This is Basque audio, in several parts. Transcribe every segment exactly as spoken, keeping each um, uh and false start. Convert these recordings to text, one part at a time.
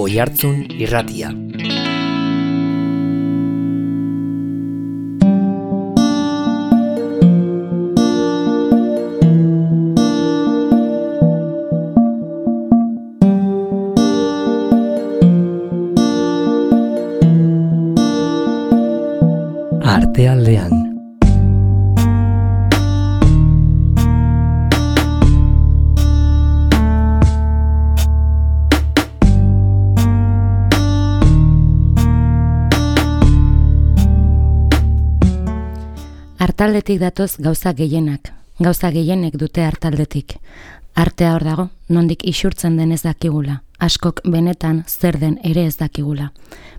Oihartzun Irratia. Artealdean. Artaldetik datoz gauza gehienak, gauza gehienek dute artaldetik. Artea hor dago, nondik isurtzen den ez dakigula, askok benetan zer den ere ez dakigula.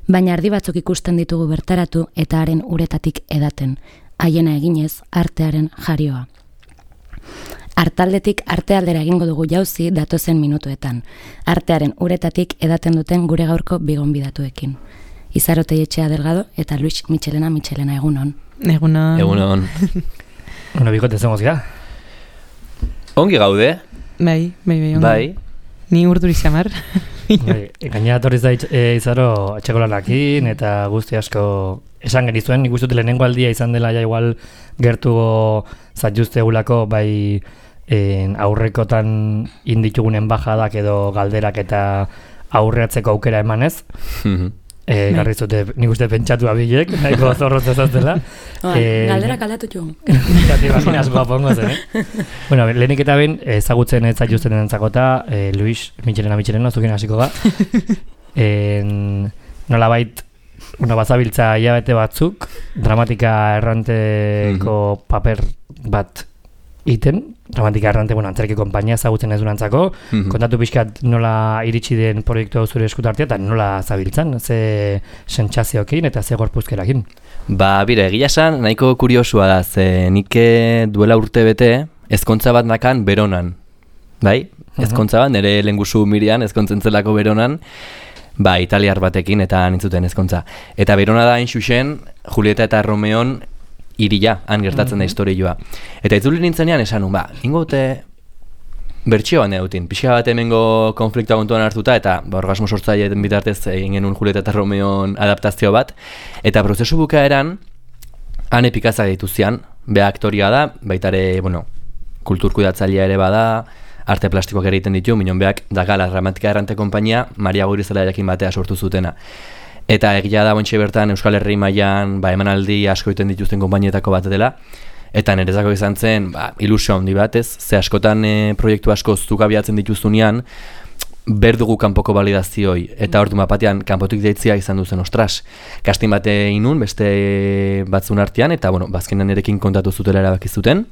Baina ardi batzuk ikusten ditugu bertaratu eta haren uretatik edaten, haiena eginez artearen jarioa. Artaldetik artealdera egingo dugu jauzi datozen minutuetan, artearen uretatik edaten duten gure gaurko bigonbidatuekin. Izarote Etxea Delgado eta Luis Michelena Michelena egunon. Egunon. Egunon. Bueno, bikote zengoz gara? Ongi gaude? Bai, bai, bai, ongi. Bai. Ni urduri xamar. Bai, gainera torriz da e, izaro atxeko lanakin eta guzti asko esan genizuen, nik uste dut lehenengo aldia izan dela ja igual gertugo zatjuzte egulako bai en, aurrekotan inditugunen bajadak edo galderak eta aurreatzeko aukera emanez. E, garri zute, nik uste pentsatu abilek, nahiko zorrotza zaztela. E, galderak aldatu txugun. Zati imaginas guapongo zen, eh? Bueno, lehenik eta ben, ezagutzen ez zaituzten entzakota, eh, Luis Michelena Michelena, zukin hasiko ga. En, nola bait, bueno, bazabiltza hilabete batzuk, dramatika erranteko paper bat iten, dramatika errante, bueno, antzerki konpainia ezagutzen ez durantzako, mm-hmm. kontatu pixkat nola iritsi den proiektu hau zure eskutartea eta nola zabiltzan, ze sentsazioekin eta ze gorpuzkerakin. Ba, bire, egia esan, nahiko kuriosua da, ze nik duela urte bete ezkontza bat nakan Beronan, bai? Ezkontza bat, nire lehengusu Mirian, ezkontzen zelako Beronan, ba, italiar batekin eta nintzuten ezkontza. Eta Berona da hain xuxen, Julieta eta Romeon iria, han gertatzen da historioa. Eta itzuli nintzenean esan, ba, ingote bertxioan edutin, pixka bat hemengo konfliktoa kontuan hartuta, eta ba, orgasmo sortzaileen bitartez egin genuen Julieta eta Romeon adaptazio bat, eta prozesu bukaeran, han epikazak dituzian, beha aktoria da, baitare, bueno, kulturkudatzailea ere bada, arte plastikoak ere egiten ditu, minon beak, Dagala Dramatika Errante Konpainia, Maria Guirizela jakin batea sortu zutena. Eta egia da bontxe bertan Euskal Herri mailan ba, emanaldi asko egiten dituzten konpainietako bat dela. Eta nerezako izan zen ba, ilusio handi batez, ze askotan e, proiektu asko zuk abiatzen dituztunean, berdugu kanpoko balidazioi. Eta ordu mapatean kanpotik deitzia izan duzen, ostras. Kastin bate inun, beste batzun artean, eta bueno, bazkenan erekin kontatu zutela erabaki zuten.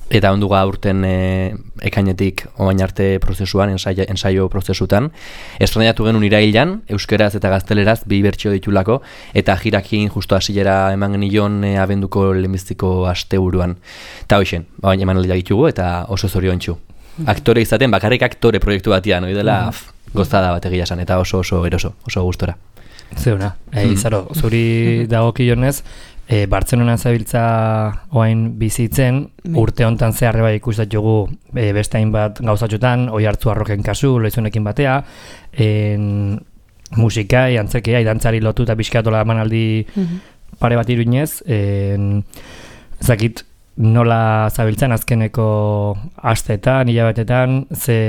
Eta onduga urten e, ekainetik oain arte prozesuan, ensaio, ensaio prozesutan. Estrenatu genuen irailan, euskeraz eta gazteleraz, bi bertsio ditulako, eta jirakin justo hasiera eman genion e, abenduko lehenbiztiko asteburuan. Eta hoxen, baina eman aldiak ditugu eta oso zoriontsu. Aktore izaten, bakarrik aktore proiektu batian, hori dela mm-hmm. gozada bat egia esan, eta oso oso eroso, oso gustora. Zeuna, e, izaro, zuri dagokionez, E, Bartzelona zabiltza oain bizitzen, urte hontan zeharre bai ikustatugu e, beste hainbat gauzatxotan, Oihartzu Arroken kasu, loizunekin batea, en, musikai, antzerkia, dantzari lotu eta pixkatola emanaldi mm-hmm. pare bat iruinez, en, zakit nola zabiltzen azkeneko asteetan, hilabetetan, ze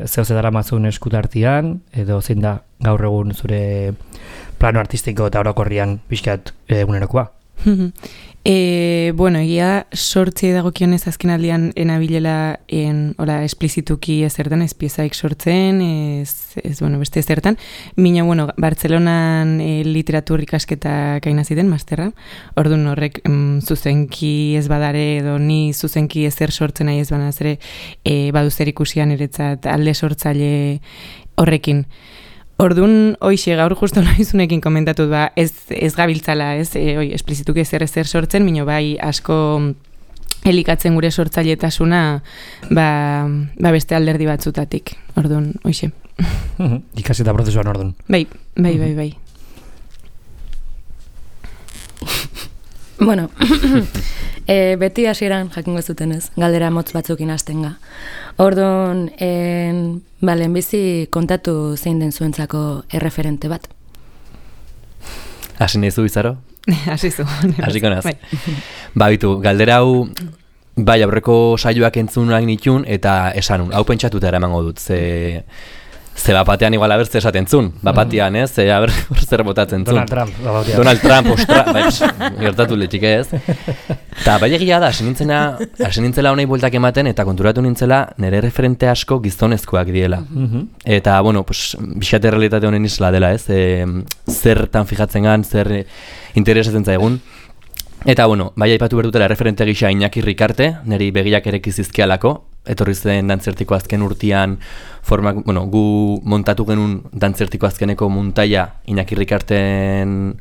zeo zedara mazun eskutartian, edo zein da gaur egun zure plano artistiko eta orokorrian pixkat egunerokoa. E, bueno, egia sortzi dagokionez azken aldian enabilela en, hola, esplizituki ezertan, ez piezaik sortzen, ez, ez bueno, beste ezertan. Mina, bueno, Bartzelonan e, literatur ikasketa gaina ziten, masterra. Orduan horrek mm, zuzenki ez badare edo ni zuzenki ezer sortzen nahi ez banaz ere e, badu zer ikusian eretzat alde sortzaile horrekin. Orduan, hoixe, gaur justo noizunekin komentatut, ba, ez, ez gabiltzala, ez, e, oi, esplizituki ezer ezer sortzen, mino bai asko elikatzen gure sortzailetasuna, ba, ba beste alderdi batzutatik, orduan, hoixe. Ikasi eta prozesuan orduan. Bai, bai, bai, bai. Bueno, e, beti hasieran jakingo zutenez, galdera motz batzukin hastenga. Orduan, en, ba, lehenbizi kontatu zein den zuentzako erreferente bat. Hasi nahi zu, Izaro? Hasi zu. Hasiko naz. Ba, bitu, galdera hau, bai, aurreko saioak entzunak nitun, eta esanun, hau pentsatuta eramango dut, ze... Ze bapatean igual abertze esaten zun, bapatean, ez? Ze aber zer botatzen zun. Donald Trump, bapatean. Donald Trump, ostra, bai, gertatu letxik ez. Eta bai egia da, hasi nintzena, hasi nintzela honei bueltak ematen, eta konturatu nintzela nire referente asko gizonezkoak diela. Eta, bueno, pues, bixate realitate honen isla dela, ez? E, zertan fijatzen gan, zer interesatzen zaigun. Eta, bueno, bai aipatu berdutela referente gisa Iñaki Ricarte, niri begiak ere kizizkialako, etorri zen dantzertiko azken urtean, formak, bueno, gu montatu genuen dantzertiko azkeneko muntaia Iñaki Ricarten,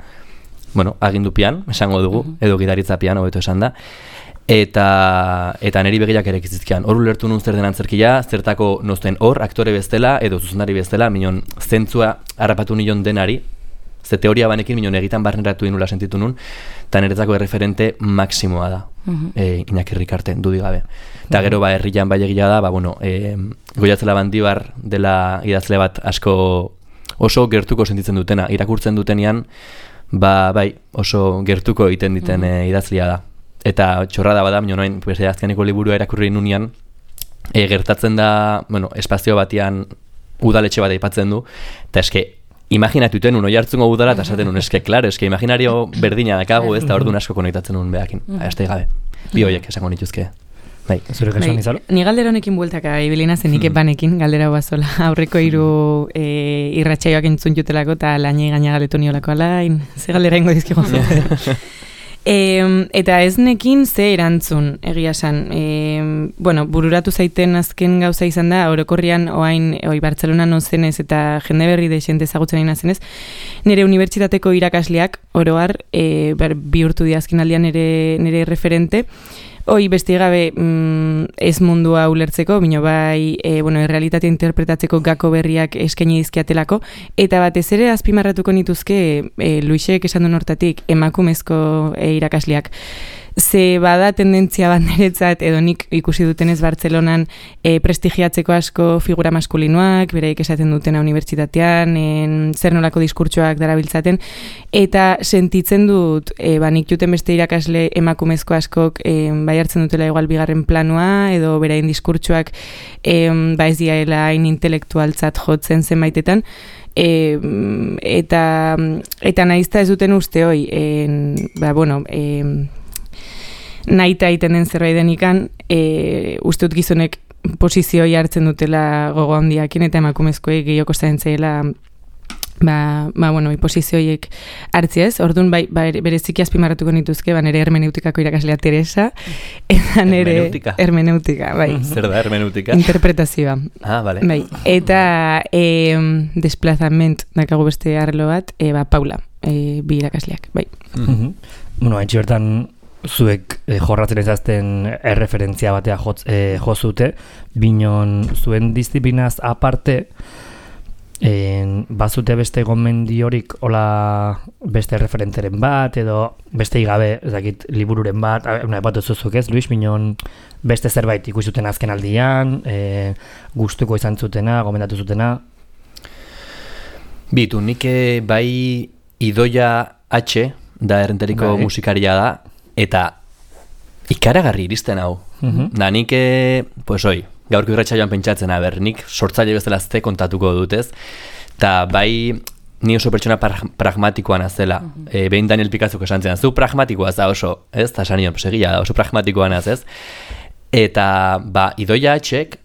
bueno, agindupian, esango dugu, edo gidaritzapian, hobeto esan da, eta eta niri begiak ere kizizkian. Hor ulertu nun zer den antzerkia, zertako nozten hor, aktore bestela, edo zuzendari bestela, minon zentzua harrapatu nion denari, ze teoria banekin minon egitan barneratu inula sentitu nun, eta niretzako erreferente maksimoa da, e, Iñaki Ricarte, dudik gabe. Eta gero ba herrian bai egia da, ba bueno, e, Goiatzela Bandibar dela idazle bat asko oso gertuko sentitzen dutena, irakurtzen dutenean, ba bai, oso gertuko egiten diten e, idazlia da. Eta txorrada bada, minon noin, pues, azkeneko liburua irakurri nunean, e, gertatzen da, bueno, espazio batean udaletxe bat aipatzen du, eta eske, imaginatuten un oihartzungo udala eta esaten un, eske, klaro, eske imaginario berdina dakagu ez, eta orduan asko konektatzen un behakin. Aste gabe, bi horiek esango nituzke. Bai. Zure kasuan izalo? Ni galdera honekin bueltaka ibilina zen nik banekin, galdera bazola. Aurreko hiru e, irratsaioak entzun jutelako eta lainei gaina galetu niolako alain, ze galdera ingo dizkigo. E, eta ez nekin ze erantzun, egia esan. E, bueno, bururatu zaiten azken gauza izan da, orokorrian oain, oi Bartzelona nozenez eta jende berri de xente ezagutzen nahi nazenez, nire unibertsitateko irakasleak, oroar, e, bihurtu di azken aldian nire, nire referente, hoi beste gabe mm, ez mundua ulertzeko, bino bai, e, bueno, errealitatea interpretatzeko gako berriak eskaini dizkiatelako, eta batez ere azpimarratuko nituzke e, Luisek esan duen hortatik emakumezko e, irakasleak. Ze bada tendentzia bat niretzat, edo nik ikusi dutenez Bartzelonan e, prestigiatzeko asko figura maskulinoak, beraik esaten dutena unibertsitatean, en, zer nolako diskurtsoak darabiltzaten, eta sentitzen dut, e, ba, nik juten beste irakasle emakumezko askok e, bai hartzen dutela igual bigarren planua, edo berain diskurtsoak e, ba ez diaela hain intelektualtzat jotzen zenbaitetan, E, eta, eta nahizta ez duten uste hoi, e, ba, bueno, e, nahita egiten den zerbait denikan, e, uste dut gizonek posizioi hartzen dutela gogo handiakin eta emakumezkoei gehiago kostatzen zaila ba, ba bueno, posizioiek hartzi ez. Orduan bai, ba, bereziki azpimarratuko nituzke, ba nere hermeneutikako irakaslea Teresa eta nere hermeneutika. hermeneutika, bai. Zer da hermeneutika? Interpretazioa. Ah, vale. Bai. Eta eh desplazament dakago beste arlo bat, e, ba Paula, e, bi irakasleak, bai. Mm-hmm. Bueno, haintxe bertan zuek eh, jorratzen ezazten erreferentzia batea jotz, eh, jozute, binon zuen disiplinaz aparte, en, bazute beste gomendiorik hola beste referenteren bat, edo beste igabe, ez dakit, libururen bat, una bat zuzuk ez, Luis, binon beste zerbait ikusuten azken aldian, e, gustuko izan zutena, gomendatu zutena? Bitu, nik bai Idoia H, da errenteriko bai. Musikaria da, eta ikaragarri iristen hau. Mm-hmm. Da nik, pues oi, gaurko irratsaioan pentsatzen, aber, nik sortzaile bezala azte kontatuko dutez, eta bai ni oso pertsona pragmatikoa nazela. Mm-hmm. E, behin Daniel Picazzok esan zen, zu pragmatikoa za oso, ez? Eta esan nion, egia da, oso pragmatikoa naz, ez? Eta, ba, Idoia Hek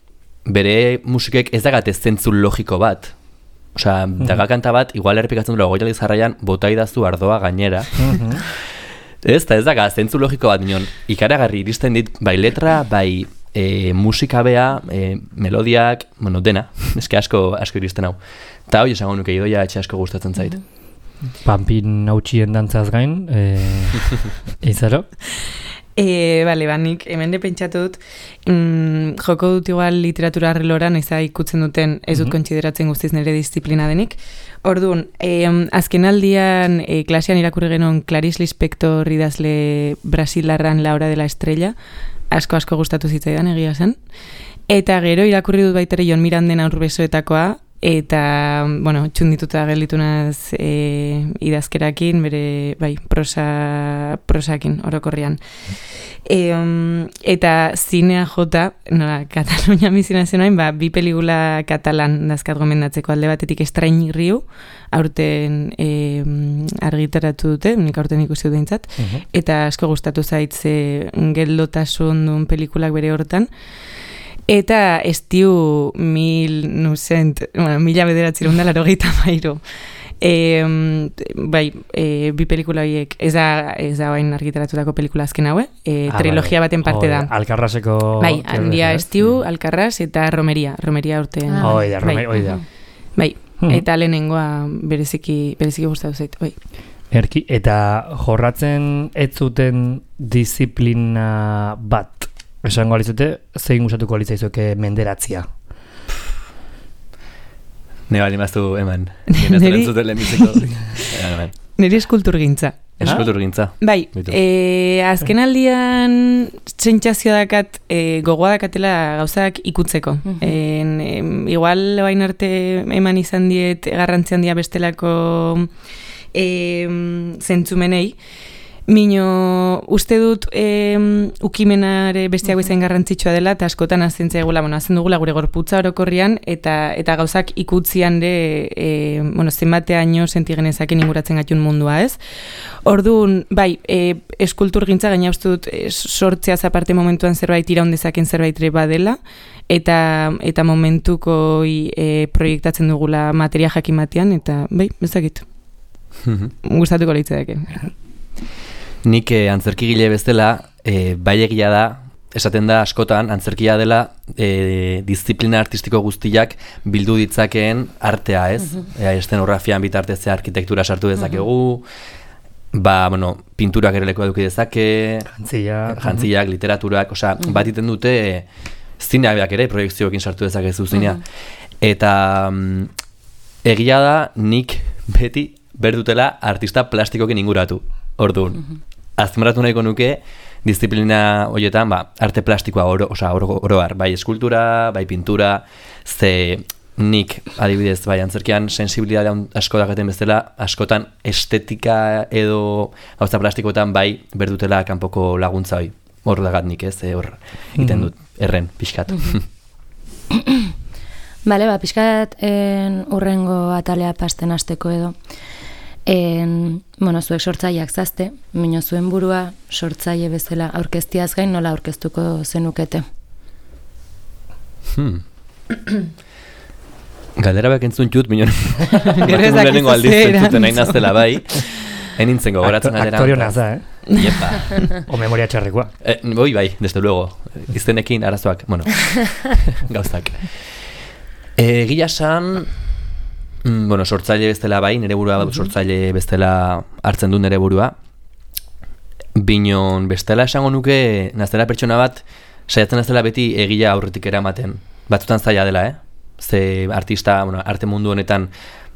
bere musikek ez dagate zentzu logiko bat. Osea, mm-hmm. daga kanta bat, igual errepikatzen dut goi aldiz jarraian, bota idazu ardoa gainera. Mm-hmm. Ez, eta ez daga, zentzu logiko bat nion, ikaragarri iristen dit, bai letra, bai e, musika bea, e, melodiak, bueno, dena, eske asko, asko iristen hau. Eta hoi esango nuke Idoia etxe asko gustatzen zait. Pampin nautxien dantzaz gain, e, izaro? E, bale, ba, nik hemen de pentsatu dut, mm, joko dut igual literatura arreloran, eza ikutzen duten ez dut mm-hmm. kontsideratzen guztiz nire disiplina denik. Orduan, e, azken aldian e, klasean irakurri genuen Clarice Lispector idazle brasilarran La Hora de la Estrella, asko-asko gustatu zitzaidan egia zen. Eta gero irakurri dut baitere Jon Miranden Aurbesoetakoa, eta, bueno, txundituta gelditunaz e, idazkerakin, bere, bai, prosa, prosakin, orokorrian. E, um, eta zinea jota, nola, Katalunia mizina zenoain, ba, bi pelikula katalan dazkat gomendatzeko alde batetik Estrain Riu, aurten e, argitaratu dute, nik aurten ikusi dut dintzat, uh-huh. eta asko gustatu zaitze geldotasun duen pelikulak bere hortan. Eta estiu mil, nusent, bueno, mila bederatzerun da laro gehieta mairu. E, bai, e, bi pelikula horiek, ez da, ez da bain argitaratutako pelikula azken haue, e, ah, trilogia baten parte da. Alkarraseko... Bai, handia estiu, Alkarras eta Romeria, Romeria urtean. Ah, oida, Romeria, oida. Bai, hmm. eta lehenengoa bereziki, bereziki gustatu zait, bai. Erki, eta jorratzen ez zuten disiplina bat, esango alizute, zein gustatuko alitzaizuke menderatzia? Ne bali maztu eman. Neri Neri eskulturgintza. Eskulturgintza. Bai, e, azken aldian sentsazio dakat e, gogoa dakatela gauzak ikutzeko. Uh-huh. En, em, igual bain arte eman izan diet garrantzi handia bestelako em, zentzumenei. Mino, uste dut e, ukimenare bestiak bezain garrantzitsua dela, eta askotan azentzea egula, bueno, azen dugula gure gorputza orokorrian, eta eta gauzak ikutzian de, e, bueno, zenbateaino sentigenezaken inguratzen gatun mundua, ez? Orduan, bai, e, eskultur gintza, gaina uste dut, e, sortzeaz aparte momentuan zerbait iraundezaken zerbait badela, eta eta momentuko e, proiektatzen dugula materia jakin batean, eta bai, bezakit. Gustatuko leitzedake. Nik eh, antzerkigile bezala, eh, bai egia da, esaten da askotan, antzerkia dela eh, disiplina artistiko guztiak bildu ditzakeen artea, ez? Uh-huh. E, estenografian bitartezea arkitektura sartu dezakegu, uh-huh. ba, bueno, pinturak ere leku eduki dezake, jantziak, jantziak, uh-huh. literaturak, osea, uh-huh. bat iten dute e, zineak ere proiektzioekin sartu dezakezu zinea. Uh-huh. Eta mm, egia da, nik beti berdutela artista plastikokin inguratu. Orduan, uh-huh. azmarratu nahiko nuke, disiplina horietan, ba, arte plastikoa oro, osa, oro, oroar, bai eskultura, bai pintura, ze nik, adibidez, bai antzerkian sensibilidade asko dakaten bezala, askotan estetika edo gauza plastikoetan bai berdutela kanpoko laguntza hoi. Hor dagat nik, ez, hor egiten dut, erren, pixkat. Bale, ba, pixkat en, urrengo atalea pasten hasteko edo. En, bueno, zuek sortzaileak zazte, mino zuen burua sortzaile bezala aurkeztiaz gain nola aurkeztuko zenukete? Hmm. Galdera bak entzun jut, mino lehenengo aldiz entzuten nahi naztela bai. Enintzen gogoratzen galdera. Aktorio naza, eh? Iepa. O memoria txarrekoa. Eh, boi bai, desde luego. Iztenekin arazoak, bueno, gauzak. Eh, Gila san... Mm, bueno, sortzaile bestela bai, nire burua uh-huh. sortzaile bestela hartzen du nire burua. Binon bestela esango nuke, naztela pertsona bat, saiatzen naztela beti egia aurretik eramaten. Batzutan zaila dela, eh? Ze artista, bueno, arte mundu honetan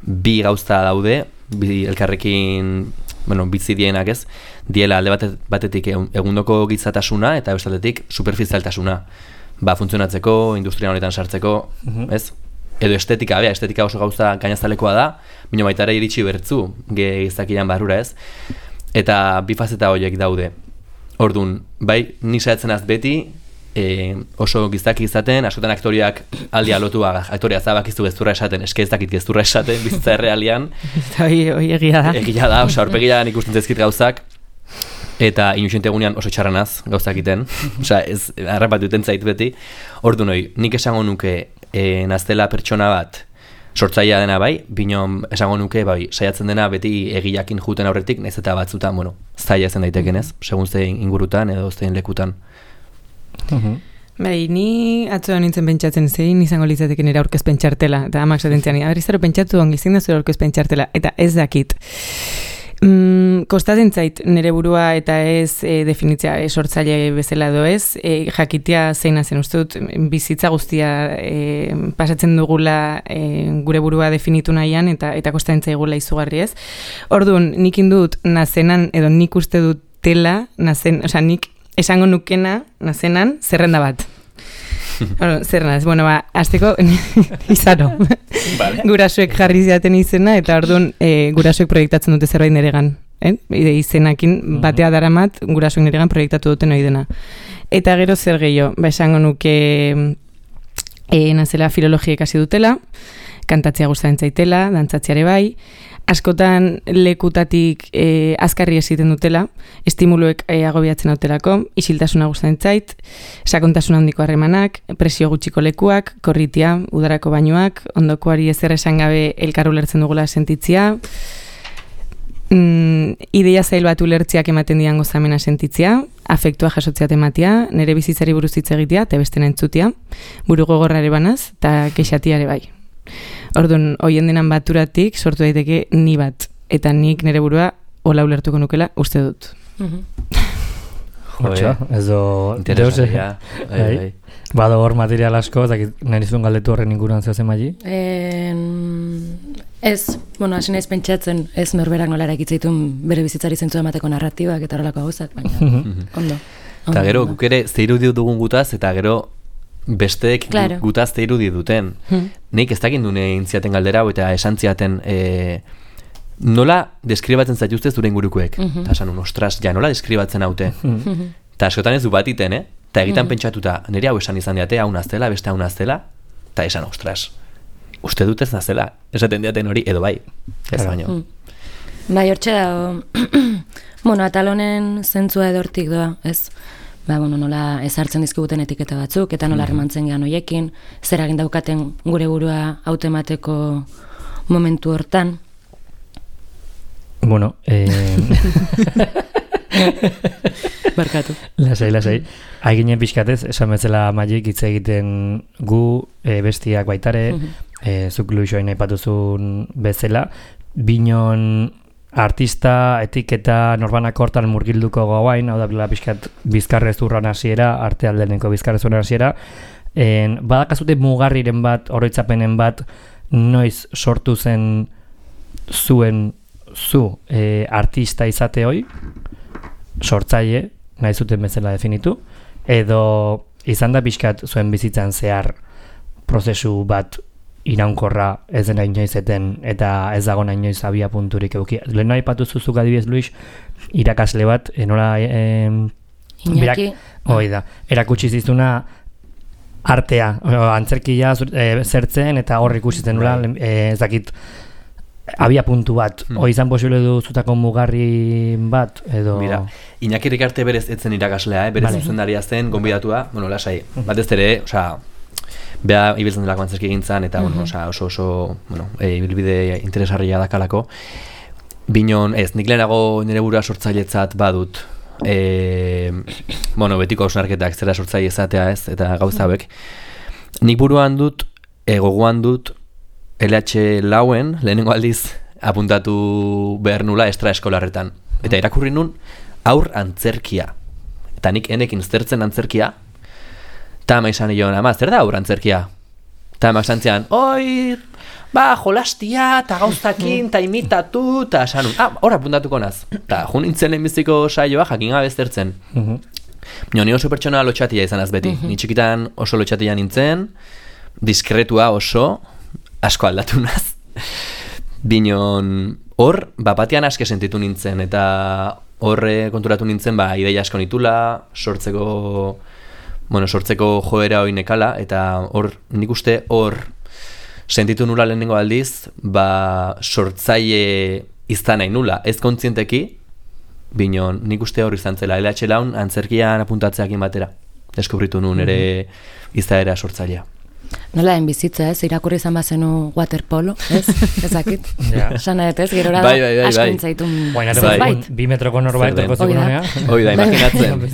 bi gauza daude, bi elkarrekin, bueno, bitzi dienak ez, diela alde batet, batetik egundoko gitzatasuna eta bestaldetik superficialtasuna. Ba, funtzionatzeko, industria honetan sartzeko, uh-huh. ez? Edo estetika, bea, estetika oso gauza gainaztalekoa da, bino baita ere iritsi bertzu, gehizakian barrura ez. Eta bi fazeta horiek daude. Orduan, bai, ni saiatzen az beti, e, oso gizaki izaten, askotan aktoriak aldia lotua, aktoria zabakizu gezurra esaten, eske ez dakit gezurra esaten, bizitza errealian. Hoi egia da. Egia da, oso aurpegian ikusten zezkit gauzak, eta inusentegunean oso txarranaz gauzak iten, osea, ez, harrapatu duten zait beti. Orduan, hoi, nik esango nuke, E, naztela pertsona bat sortzailea dena bai, binon esango nuke bai, saiatzen dena beti egiakin juten aurretik, nahiz eta batzutan, bueno, zaila zen daiteken ez, segun zein ingurutan edo zein lekutan. Uh-huh. Bai, ni atzoa nintzen pentsatzen zein izango litzateken ere aurkezpen txartela, eta amak zaten zean, abrizaro pentsatu ongi zein da zure aurkezpen txartela, eta ez dakit. Mm, kostatzen zait nire burua eta ez e, definitzia e, sortzaile bezala do ez, e, jakitea zeina zen uste dut bizitza guztia e, pasatzen dugula e, gure burua definitu nahian eta eta kostatzen zaigula izugarri ez. Orduan, nik indut nazenan edo nik uste dut tela, nazen, osea, nik esango nukena nazenan zerrenda bat. Bueno, zer naz, bueno, ba, azteko izaro. Vale. Gurasoek jarri ziaten izena, eta orduan e, gurasoek proiektatzen dute zerbait niregan. Eh? Ide izenakin batea daramat, gurasoek niregan proiektatu duten hori dena. Eta gero zer gehiago, ba, esango nuke e, nazela filologia ikasi dutela, kantatzea gustatzen zaitela, dantzatzeare bai, askotan lekutatik e, azkarri esiten dutela, estimuluek e, agobiatzen dutelako, isiltasuna gustatzen zait, sakontasun handiko harremanak, presio gutxiko lekuak, korritia, udarako bainoak, ondokoari ezer esan gabe elkar ulertzen dugula sentitzia, mm, ideia zail bat ulertziak ematen dian gozamena sentitzia, afektua jasotzea tematia, nire bizitzari buruz hitz egitea, eta beste entzutia, buru gogorrare banaz, eta kexatiare bai. Orduan, hoien denan baturatik sortu daiteke ni bat, eta nik nire burua hola ulertuko nukela uste dut. Hortxa, ez do... Interesaria. Bado hor material asko, nahi zuen galdetu horren inguruan zehazen maili? Ez, bueno, hasi naiz pentsatzen, ez norberak nola eraikitzaitun bere bizitzari zentzu emateko narratibak eta horrelako gauzak, baina ondo. Eta gero, guk ere zeiru dugun gutaz, eta gero besteek claro. Gutazte irudi duten. Hmm. Nik ez dakit dune intziaten galdera eta esan ziaten e, nola deskribatzen zaituzte zure ingurukuek. Eta mm-hmm. esan un, ostras, ja nola deskribatzen haute. Mm-hmm. Eta askotan ez du bat iten, eh? Eta egitan mm-hmm. pentsatuta, nire hau esan izan diate, hau naztela, beste hau naztela, eta esan, ostras, uste dut ez naztela. Esaten diaten hori, edo bai. Ez baino. Mm. Bai, hortxe da, bueno, atalonen zentzua edortik doa, ez? Ba, bueno, nola ezartzen dizkiguten etiketa batzuk, eta nola harremantzen gehan hoiekin, zer egin daukaten gure burua automateko momentu hortan. Bueno, eh... Barkatu. Lasai, lasai. Haiginen pixkatez, esan bezala Magik hitz egiten gu, e, bestiak baitare, e, zuk luixoain aipatuzun bezala, binon artista, etiketa, norbanak hortan murgilduko gauain, hau da bila pixkat bizkarrez urran hasiera, arte aldeneko bizkarrez urran hasiera, badakazute mugarriren bat, oroitzapenen bat, noiz sortu zen zuen zu e, artista izate hoi, sortzaile, nahi zuten bezala definitu, edo izan da pixkat zuen bizitzan zehar prozesu bat iraunkorra ez dena inoizeten eta ez dago nahi inoiz abia punturik euki. Lehen nahi patu zuzuk adibidez, Luis, irakasle bat, enola... Eh, Iñaki. Hoi da, erakutsi zizuna artea, antzerkia e, zertzen eta hor ikusitzen nula, e, ez dakit, abia puntu bat, hmm. izan posible du zutako mugarri bat, edo... Mira, Iñaki Rikarte berez etzen irakaslea, eh? Berez vale. Zuzendaria zen, gonbidatua, bueno, lasai, batez ere, osea, beha ibiltzen delako antzerki gintzan, eta uh-huh. bueno, osa, oso oso bueno, e, ibilbide interesarria dakalako. Binon, ez, nik lehenago nire burua sortzailetzat badut, e, bueno, betiko hausnarketak zera sortzaile izatea ez, eta gauza hauek. Nik buruan dut, e, gogoan dut, L H lauen, lehenengo aldiz, apuntatu behar nula estra eskolarretan. Eta irakurri nun, aur antzerkia. Eta nik enekin zertzen antzerkia, eta ama izan nion, ama, zer da aur antzerkia? Eta ama izan zian, oi, ba, jolastia, eta gauztakin, eta imitatu, eta esan nun, ah, hor apuntatuko naz. Eta jo nintzen lehenbiziko saioa, jakin gabe zertzen. Nio, ni oso pertsona lotxatia izan az beti. Ni txikitan oso lotxatia nintzen, diskretua oso, asko aldatu naz. Binon, hor, ba, batean aske sentitu nintzen, eta horre konturatu nintzen, ba, ideia asko nitula, sortzeko, bueno, sortzeko joera hori nekala, eta hor, nik uste hor sentitu nula lehenengo aldiz, ba, sortzaile izan nahi nula, ez kontzienteki, binon, nik uste hor izan zela, L H laun antzerkian apuntatzeakin batera, deskubritu nun ere izaera sortzailea. Nola den bizitza, ez? Irakurri izan bazenu waterpolo, ez? Ezakit. Sana ez, gerora bai, bai, bai, asko intzaitun zerbait. Bi metroko norbait torko zekonea. Hoi da, imaginatzen.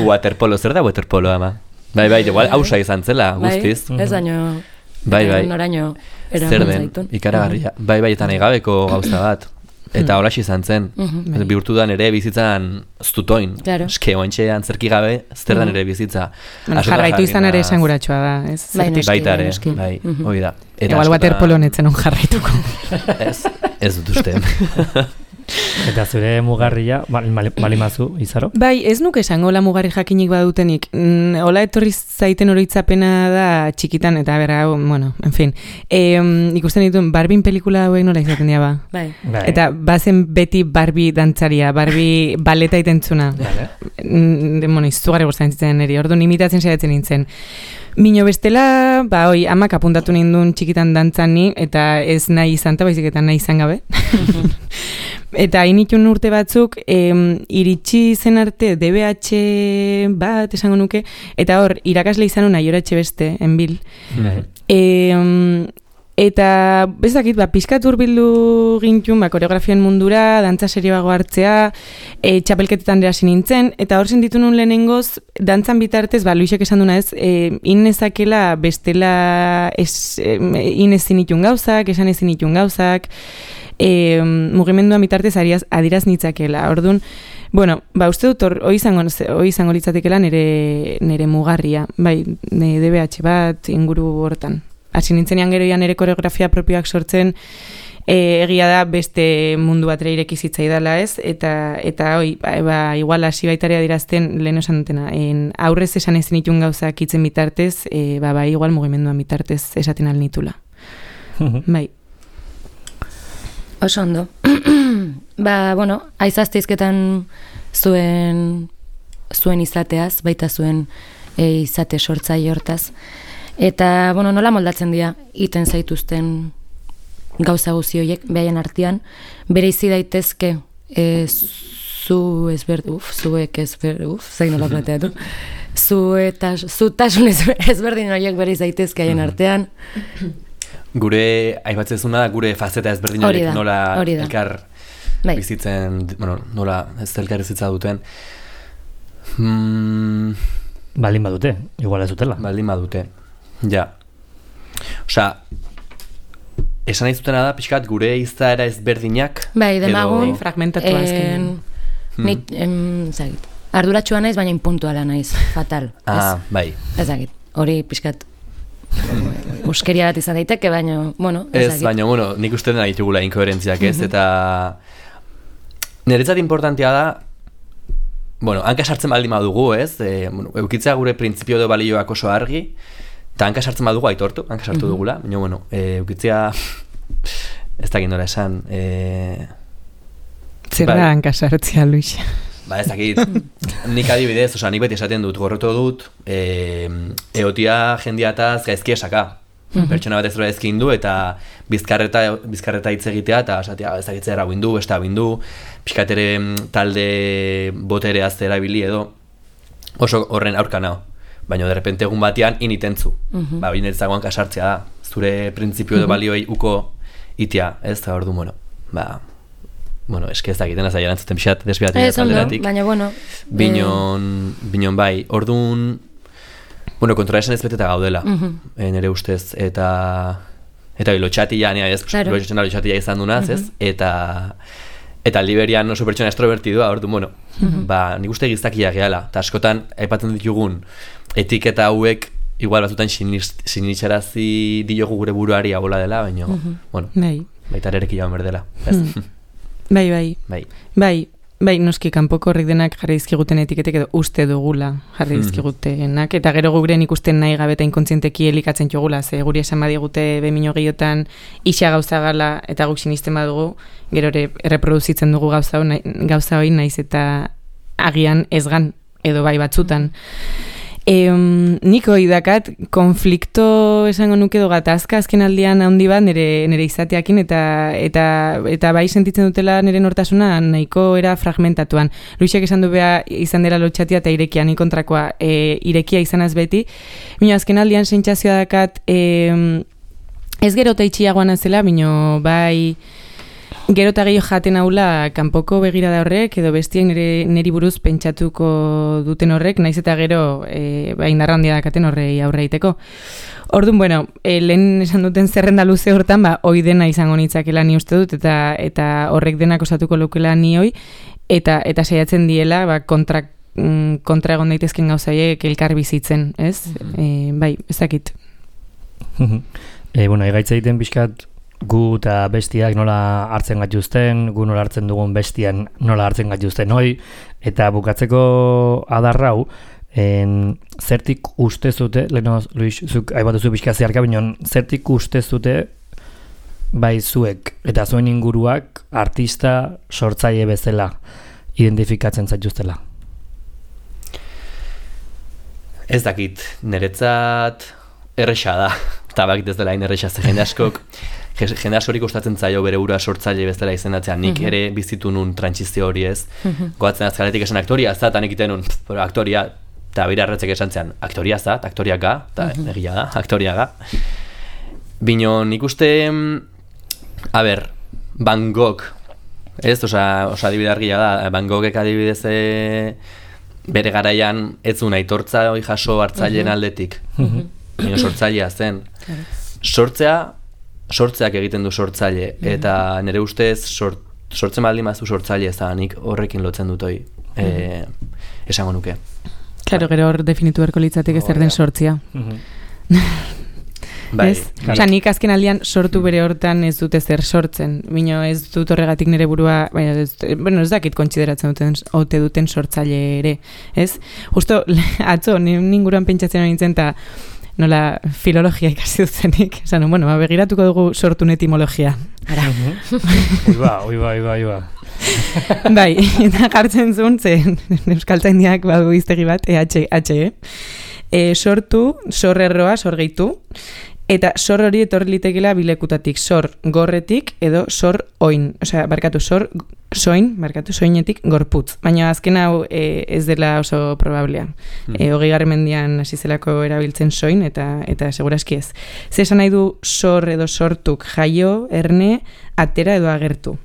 Waterpolo, zer da waterpolo, ama? Bai, bai, igual hausa izan zela, guztiz. Ez daño, bai, bai. noraino zer den, ikaragarria. Bai, bai, eta nahi gabeko gauza bat. Eta hola izan zen, Mhm. bihurtu da nere bizitzan ztutoin. Claro. Eske oantxe antzerki gabe, zer da nere bizitza. Bueno, Askotan jarraitu izan jarri ere naz- esanguratsua da, ez? Bai, Zertik. noski, Baita ere, noski. bai, Mhm. hori da. Eta Igual askotan- waterpolo netzen on jarraituko. Ez, ez dut uste. Eta zure mugarria, bal- bal- balimazu, Izaro? Bai, ez nuke esango la mugarri jakinik badutenik. Mm, Ola etorri zaiten oroitzapena da txikitan, eta bera, bueno, en fin. E, ikusten dituen, Barbien pelikula hauek nola izaten dira ba. Bai. Bai. Eta bazen beti Barbie dantzaria, Barbie baleta itentzuna. Vale. Mm, de, bueno, izugarri gustatzen zitzen niri, orduan imitatzen saiatzen nintzen. Mino bestela, ba, oi, amak apuntatu nindun txikitan dantzan ni, eta ez nahi izan, eta baizik eta nahi izan gabe. Eta initun urte batzuk, em, iritsi zen arte D B H bat esango nuke, eta hor, irakasle izan una Aiora Etxebeste, enbil. Bai. E, eta, bezakit, ba, pizkat hurbildu gintun, ba, koreografian mundura, dantza serioago hartzea, e, txapelketetan hasi nintzen, eta hor sentitu nun lehenengoz, dantzan bitartez, ba, Luisek esan duna ez, e, inezakela bestela ez, e, inezin itun gauzak, esan ezin itun gauzak, e, mugimendua bitartez ariaz, adiraz nitzakela. Orduan, bueno, ba, uste dut hor, hoi izango, hoi izango litzatekela nere, nere mugarria, bai, ne, D B H bat inguru hortan. Hasi nintzenean geroian nere koreografia propioak sortzen, e, egia da beste mundu batera ireki zitzaidala ez, eta, eta hoi, ba, ba, igual hasi baitarea dirazten lehen esan dutena, en, aurrez esan ezin itun gauzak itzen bitartez, e, ba, ba, igual mugimenduan bitartez esaten alnitula. Bai. Oso ondo. Ba, bueno, aizazteizketan zuen zuen izateaz, baita zuen e, izate sortzaile hortaz. Eta, bueno, nola moldatzen dira iten zaituzten gauza guzi horiek, behaien artean, bere izi daitezke e, zu ezberd, uf, zuek ezberd, uf, zain nola plateatu, zu eta zu tasun ezberdin horiek bere izi daitezke haien artean. Gure, aibatzezuna da, gure fazeta ezberdin Hori horiek da, nola hori da. elkar Bai. bizitzen, bueno, nola ez elkar bizitza duten. Mm, Baldin badute, igual ez dutela. baldin badute. Ja. Osea, esan nahi zutena da, pixkat, gure izaera ezberdinak. Bai, demagun, edo- Fragmentatua azkenean. en, nik, em, zagit, arduratsua naiz, baina impuntuala naiz, fatal. Ah, bai. Ez, ezagit, hori pixkat uskeria bat izan daiteke, baina, bueno, Ez, ezagit. baina, bueno, nik uste dena ditugula inkoherentziak ez, eta niretzat importantea da, bueno, hanka sartzen baldin badugu, ez, e, bueno, eukitzea gure printzipio edo balioak oso argi, eta hanka sartzen badugu aitortu, hanka sartu dugula, baina, bueno, e, eukitzea, ez dakit nola esan, e, Zer bai. da hankasartzea, Luis? ba ez dakit, nik adibidez, osea, nik beti esaten dut, gorroto dut, e, eotia jendiataz gaizki esaka. Pertsona bat ez dura ezkin du, eta bizkarreta, bizkarreta hitz egitea, eta esatea, ez dakit zer hau indu, beste hau indu, pixkat ere mm, talde botereaz erabili edo, oso horren aurka nao. Baina derrepente egun batean initentzu. Ba, bine ez dagoan kasartzea da. Zure printzipio edo balioei uko itia, ez da ordu, bueno, ba, bueno, eske ez dakiten azai erantzuten pixat desbiatzen Ez, ondo, alderatik. baina, bueno. Binon, binon bai, ordun, bueno, kontrola esan ez beteta gaudela, eh, nire ustez, eta eta lotxatia, nea, ez, Claro. lotxatia lotxatia izan dunaz, ez, eta eta liberian oso pertsona estrobertidua, ordu, bueno, ba, nik uste giztakia gehala, eta askotan, aipatzen ditugun, etiketa hauek, igual batzutan sinitxarazi diogu gure buruari abola dela, baina, bueno, Bai. baita erereki joan berdela, ez? Bai, bai. Bai. Bai, bai, noski kanpoko horrik denak jarri dizkiguten etiketek edo uste dugula jarri dizkigutenak, eta gero guren ikusten nahi gabe eta inkontzienteki elikatzen jogula, ze guri esan badigute bemino gehiotan isa gauza gala eta guk sinisten badugu, gero ere erreproduzitzen dugu gauza hori, gauza hori naiz eta agian ezgan edo bai batzutan. E, nik hori dakat konflikto esango nuke edo gatazka azken aldian handi bat nire, nire izateakin eta, eta, eta bai sentitzen dutela nire nortasuna nahiko era fragmentatuan. Luisek esan du beha izan dela lotxatia eta irekia, ni kontrakoa e, irekia izanaz beti. Bino azken aldian sentsazioa dakat e, ez gero eta itxiagoan azela, bino bai Gero eta gehiago jaten haula kanpoko begirada horrek, edo bestiak nire, niri buruz pentsatuko duten horrek, naiz eta gero e, ba, indarra handia dakaten horrei aurre egiteko. Orduan, bueno, e, lehen esan duten zerrenda luze hortan, ba, hoi dena izango nitzakela ni uste dut, eta eta horrek denak osatuko lukela ni hoi, eta eta saiatzen diela, ba, kontra, mm, kontra egon daitezken gauzaiek elkar bizitzen, ez? E, bai, ezakit. e, bueno, egaitza egiten pixkat, gu eta bestiak nola hartzen gatuzten, gu nola hartzen dugun bestian nola hartzen gatuzten hoi, eta bukatzeko adarrau, en, zertik uste zute, leheno, Luis, zuk aibatuzu pixka zeharka, bineon, zertik uste zute bai zuek, eta zuen inguruak artista sortzaile bezala identifikatzen zaituztela? Ez dakit, niretzat erresa da, eta bakit ez dela hain erresa, ze jende askok, jende askorik gustatzen zaio bere ura sortzaile bezala izendatzea, nik Mhm. ere bizitu nun trantsizio hori ez, Mhm. goatzen azkaletik esan aktoria za, eta nik iten nun, pero aktoria, eta bire arretzek esan zean, aktoria za, eta aktoria ga, eta egia da, aktoria ga. Bino, nik uste, a ber, Van Gogh, ez, osa, osa adibide argia da, Van Goghek adibidez e, bere garaian ez zuen aitortza hori jaso hartzaileen aldetik, bino sortzailea zen. Sortzea, sortzeak egiten du sortzaile, eta nire ustez sort, sortzen baldin bazu sortzaile ezanik horrekin lotzen dut hoi, e, esango nuke. Claro, gero hor definitu beharko litzateke zer den sortzia. Bai, Ez? Osa, nik azken aldian sortu bere hortan ez dute zer sortzen. Bino ez dut horregatik nire burua, baina ez, bueno, ez dakit kontsideratzen duten, ote duten sortzaile ere. Ez? Justo, atzo, ninguruan pentsatzen nintzen, eta nola filologia ikasi duzenik. Esan, bueno, ba, begiratuko dugu sortun etimologia. Ara. Ui ba, ui ba, ui ba, ui ba. Bai, eta jartzen zuen, zen euskaltzaindiak badu iztegi bat, E H E. E, sortu, sorrerroa, sorgeitu, eta sor hori etorri litekela bilekutatik, sor gorretik edo sor oin, osea, barkatu, sor soin, barkatu, soinetik gorputz. Baina azken hau e, ez dela oso probablea. Mm. E, hogei garren mendian hasi zelako erabiltzen soin, eta eta seguraski ez. Ze esan nahi du sor edo sortuk jaio, erne, atera edo agertu.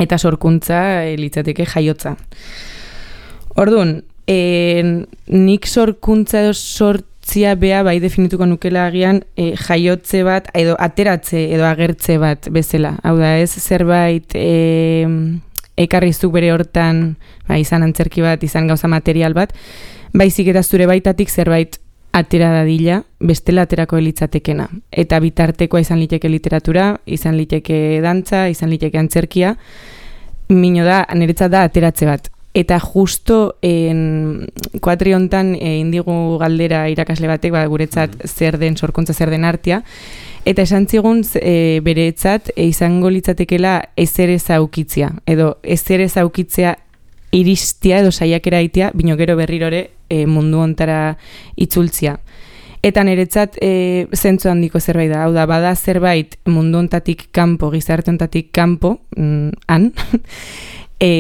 Eta sorkuntza e, litzateke jaiotza. Orduan, e, nik sorkuntza edo sortzia bea bai definituko nukela agian e, jaiotze bat edo ateratze edo agertze bat bezala. Hau da, ez zerbait e, ekarrizuk bere hortan, ba, izan antzerki bat, izan gauza material bat, baizik eta zure baitatik zerbait atera dadila, bestela aterako elitzatekena. Eta bitartekoa izan liteke literatura, izan liteke dantza, izan liteke antzerkia, mino da, niretzat da ateratze bat. Eta justo en, kuatri hontan e, indigu galdera irakasle batek, ba, guretzat zer den sorkuntza, zer den artea, eta esan zigun e, beretzat e, izango litzatekela ezer ez aukitzia, edo ezer ez aukitzea iristia edo saiakera aitea, bino gero berrirore e, mundu hontara itzultzia. Eta niretzat e, zentzu handiko zerbait da, hau da, bada zerbait mundu hontatik kanpo, gizarte hontatik kanpo, mm, han, e,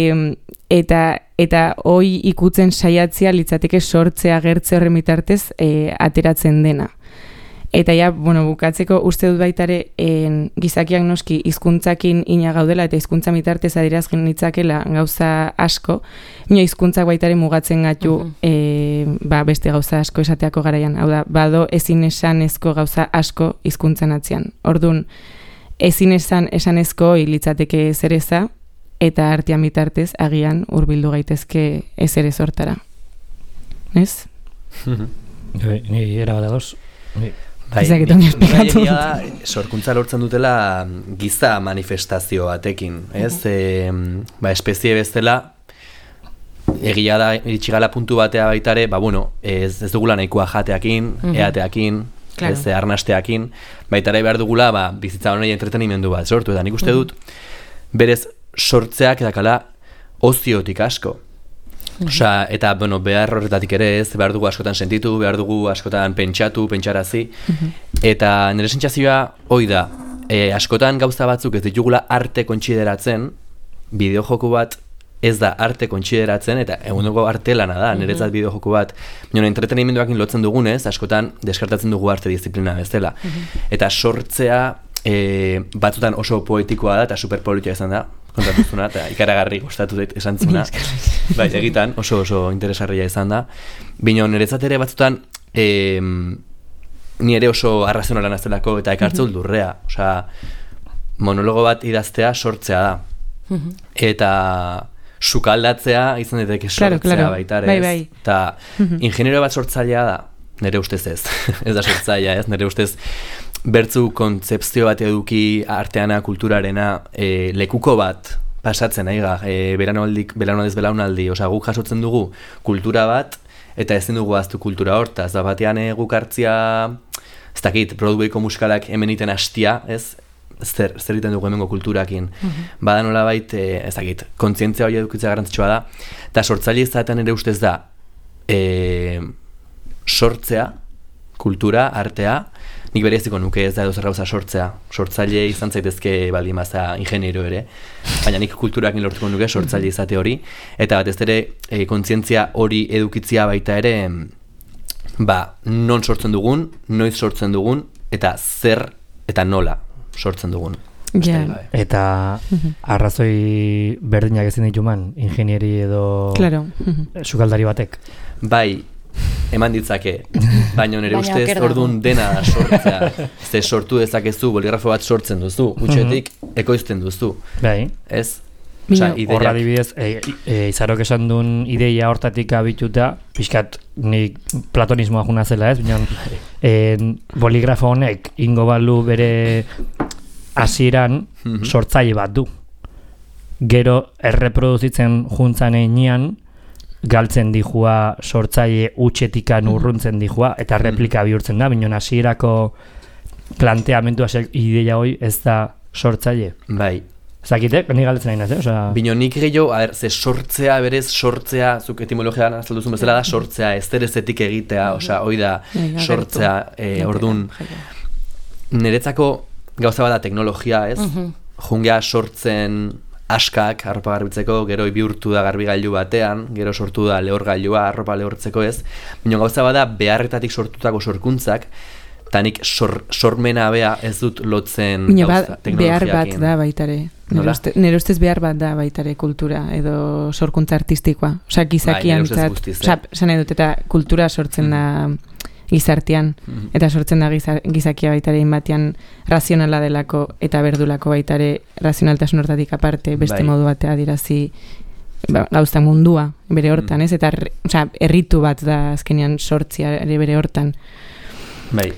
eta eta hoi ikutzen saiatzea litzateke sortzea agertze horren bitartez e, ateratzen dena. Eta ja, bueno, bukatzeko uste dut baitare en, gizakiak noski hizkuntzakin ina gaudela eta hizkuntza bitartez adierazgen nitzakela gauza asko, nio hizkuntzak baitare mugatzen gatu uh -huh. e, ba, beste gauza asko esateako garaian. Hau da, bado ezin esanezko gauza asko hizkuntzan atzean. Orduan, ezin esan esanezko litzateke zereza, eta artean bitartez agian hurbildu gaitezke ez ere sortara. Ez? Ni era bat ados. Bai, da, sorkuntza lortzen dutela giza manifestazio batekin, ez? E, ba, espezie bezala, egia da, iritsigala puntu batea baitare, ba, bueno, ez, ez dugula nahikoa jateakin, uh-huh. eateakin, claro. Ez, arnasteakin, baitare behar dugula, ba, bizitza honei entretenimendu bat sortu, eta nik uste dut, berez, sortzeak edakala oziotik asko. Uh-huh. Osa, eta, bueno, behar horretatik ere ez, behar dugu askotan sentitu, behar dugu askotan pentsatu, pentsarazi, uh-huh. eta nire sentsazioa hoi da, e, askotan gauza batzuk ez ditugula arte kontsideratzen, bideojoku bat ez da arte kontsideratzen, eta eguneko arte lana da, niretzat bideojoku bat, baina entretenimenduakin lotzen dugunez, askotan deskartatzen dugu arte disiplina bezala. Uh-huh. Eta sortzea e, batzutan oso poetikoa da eta superpolitia izan da, kontatuzuna, eta ikaragarri gustatu dut esan zuna. Bai, egitan oso oso interesgarria izan da. Bino, niretzat ere batzutan, e, ni ere oso arrazionala naztelako eta ekartze uldurrea. Osea, monologo bat idaztea sortzea da. Eta sukaldatzea izan daiteke sortzea claro, claro. baita ere. Bai, bai. Eta ingeniero bat sortzailea da, nire ustez ez. Ez da sortzailea ez, nire ustez bertzu kontzepzio bat eduki arteana, kulturarena, e, lekuko bat pasatzen aiga, e, beranaldik, beranaldez belaunaldi, osea guk jasotzen dugu kultura bat, eta ezin dugu aztu kultura hortaz, da batean e, guk hartzia, ez dakit, Broadwayko musikalak hemen iten hastia, ez? Zer, zer egiten dugu hemengo kulturakin. Mm-hmm. Bada nolabait, e, ez dakit, kontzientzia hori edukitzea garrantzitsua da, eta sortzaile izatean ere ustez da, e, sortzea, kultura, artea, nik bereziko nuke ez da edo zer gauza sortzea. Sortzaile izan zaitezke baldin baza ingeniero ere, baina nik kulturakin lortuko nuke sortzaile izate hori, eta batez ere e, kontzientzia hori edukitzea baita ere, ba, non sortzen dugun, noiz sortzen dugun, eta zer eta nola sortzen dugun. Yeah. Eta arrazoi berdinak ezin dituman, ingenieri edo claro. sukaldari batek. Bai, eman ditzake, baina nire ustez orduan dena da sortzea. Ze sortu dezakezu, boligrafo bat sortzen duzu, gutxetik ekoizten duzu. Bai. Ez? Osa, horra dibidez, e, e, izarok esan duen ideia hortatik abituta, pixkat nik platonismoa juna zela ez, baina e, boligrafo honek ingo balu bere hasieran sortzaile bat du. Gero erreproduzitzen juntzan einean, galtzen dijua sortzaile utxetikan urruntzen dijua, eta replika bihurtzen da, baina hasierako planteamentua ideia hoi ez da sortzaile. Bai. Zakitek, ni galdetzen nahi naz, eh? Osa... Bino nik gehiago, a ber, ze sortzea, berez, sortzea, zuk etimologian azalduzun bezala da, sortzea, ez ezetik egitea, osea, hoi da, sortzea, e, ordun, niretzako gauza bada teknologia, ez? Jungea sortzen askak, arropa garbitzeko, gero bihurtu da garbigailu batean, gero sortu da lehorgailua, arropa lehortzeko ez, bino gauza bada beharretatik sortutako sorkuntzak, eta nik sor, sormena bea ez dut lotzen gauza, teknologiakin. Behar bat da baitare. Nire ustez behar bat da baitare kultura edo sorkuntza artistikoa. Osa, gizakian, osa, zan edut, eta kultura sortzen da gizartean, eta sortzen da gizakia baitare inbatian razionala delako eta berdulako baitare razionaltasun hortatik aparte, beste bai. Modu batea dirazi ba, gauza mundua bere hortan, ez? Eta osa, erritu bat da azkenean sortzia bere hortan. Bai.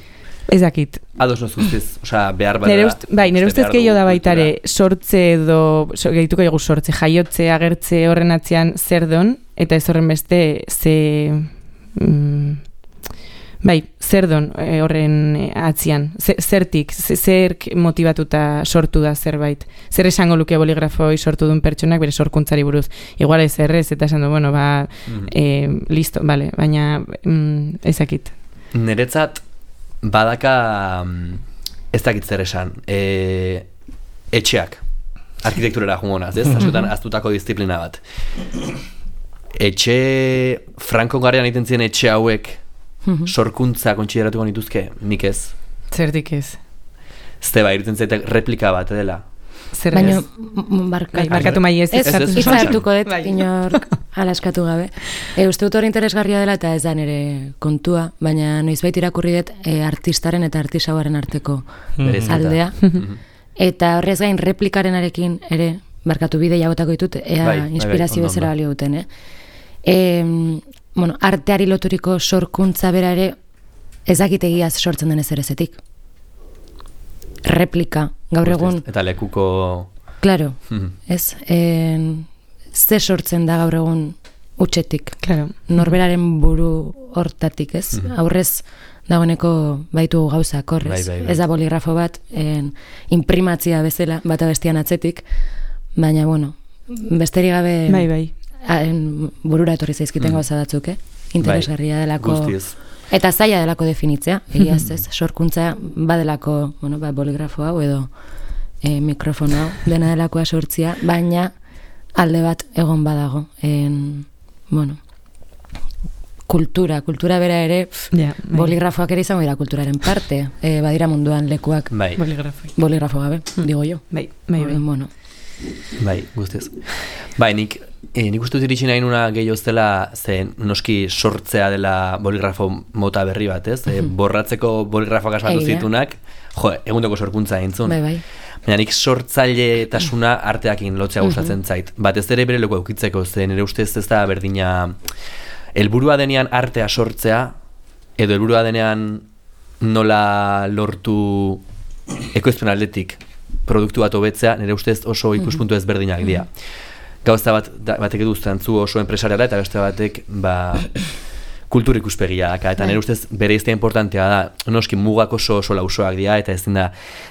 Ez dakit. Ados noz guztiz, osea, behar bada. Ust, bai, nire ustez gehiago da baitare, sortze edo, so, gehituko dugu sortze, jaiotze, agertze horren atzean zer don, eta ez horren beste, ze, mm, bai, zer don e, horren atzean, zertik, zerk motivatuta sortu da zerbait, zer esango luke boligrafoi sortu duen pertsonak bere sorkuntzari buruz, igual ez errez, eta esan du, bueno, ba, mm-hmm. e, listo, vale, baina mm, ez dakit. Niretzat, badaka ez dakit zer esan e, etxeak arkitekturera jungonaz, ez? Askotan aztutako disiplina bat etxe Franco garrian egiten ziren etxe hauek sorkuntza kontsideratuko nituzke, nik ez zertik ez zte ba, iruten zaite replika bat dela zer baina barka, barkatu mai ez hitza hartuko dut inork alaskatu gabe e, uste dut hori interesgarria dela eta ez da nire kontua, baina noizbait irakurri dut e, artistaren eta artisauaren arteko mm-hmm. aldea eta horrez gain replikaren ere barkatu bide jagotako ditut ea bai, inspirazio bai, bezala balio duten eh? E, bueno, arteari loturiko sorkuntza bera ere ezakitegiaz sortzen den ezerezetik replika, gaur egun eta lekuko claro, ez en, ze sortzen da gaur egun utxetik claro. Norberaren buru hortatik ez mm-hmm. aurrez dagoeneko baitu gauzak horrez bai, bai, bai. Ez da boligrafo bat en, imprimatzia bezala bata bestian atzetik baina bueno besterik gabe bai, bai. En, burura etorri zaizkiten mm. gauza batzuk eh? Interesgarria delako guztiz. Eta zaila delako definitzea, egiaz ez, sorkuntza badelako, bueno, ba, boligrafo hau edo e, mikrofono hau, dena delakoa sortzia, baina alde bat egon badago. En, bueno, kultura, kultura bera ere, pff, Ja, bai. boligrafoak ere izango dira kulturaren parte, e, badira munduan lekuak Bai, Boligrafoi. boligrafo gabe, digo jo. Bai, bai, bai. Bueno, bai, guztiz. Bai, nik, eh, nik uste dut iritsi nahi nuna gehiago zela, ze noski sortzea dela boligrafo mota berri bat, ez? E, borratzeko boligrafoak asmatu Egia. zitunak, jo, egundoko sorkuntza entzun. bai, bai. Baina nik sortzailetasuna arteakin lotzea gustatzen zait. Batez ere bere leku eukitzeko, ze nire ustez ez da berdina helburua denean artea sortzea, edo helburua denean nola lortu ekoizpen aldetik produktu bat hobetzea, nire ustez oso ikuspuntu ezberdinak dira. Gauza bat, da, batek edu zantzu oso enpresariala eta beste batek ba, kultur ikuspegia daka, eta nire ustez bere iztea importantea da, noski mugak oso oso lausoak dira, eta ezin da,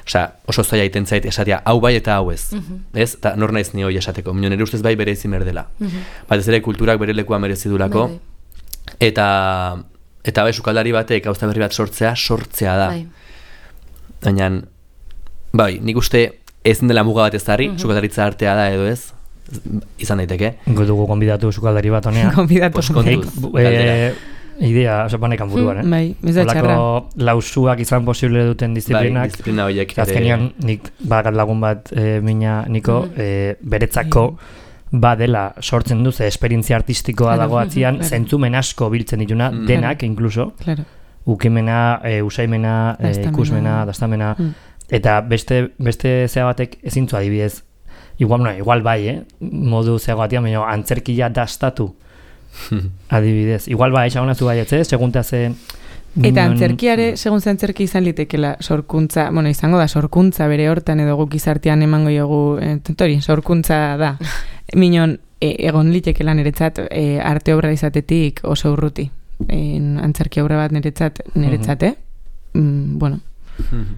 osea, oso zaila egiten zait esatea, hau bai eta hau ez, ez? Eta nor naiz ni hori esateko, minio nire ustez bai bere izin berdela. Batez ere kulturak bere lekua merezi dulako, Bai, eta eta bai sukaldari batek gauza berri bat sortzea, sortzea da. bai. Baina, bai, nik uste ezin dela muga bat ezarri, sukaldaritza artea da edo ez, izan daiteke. Ingo dugu konbidatu sukaldari bat honea. Konbidatu. Poskontuz, Nik, galdera. eh, idea, oso panekan buruan, eh? Bai, ez da txarra. Olako lausuak izan posible duten Bai, disiplinak. disiplina horiek Eta azkenean, nik bakat lagun bat e, mina niko, e, beretzako badela sortzen du, ze esperientzia artistikoa Claro, dago atzian, claro. zentzumen asko biltzen dituna, Mm. denak, inkluso, Claro. ukimena, e, usaimena, e, Dastamena. ikusmena, dastamena, Mm. eta beste beste zea batek ezintzu adibidez, igual, no, igual bai, eh? modu zeago batean, baina antzerkia dastatu, adibidez. Igual bai, esagonazu bai, ez, segunta ze... Eta non- antzerkiare, segun ze antzerki izan litekela sorkuntza, bueno, izango da sorkuntza bere hortan edo guk izartean emango jogu, eh, tori, sorkuntza da. Minon, e, egon litekela niretzat e, arte obra izatetik oso urruti. En, antzerki obra bat niretzat, niretzat, eh? Mm, bueno,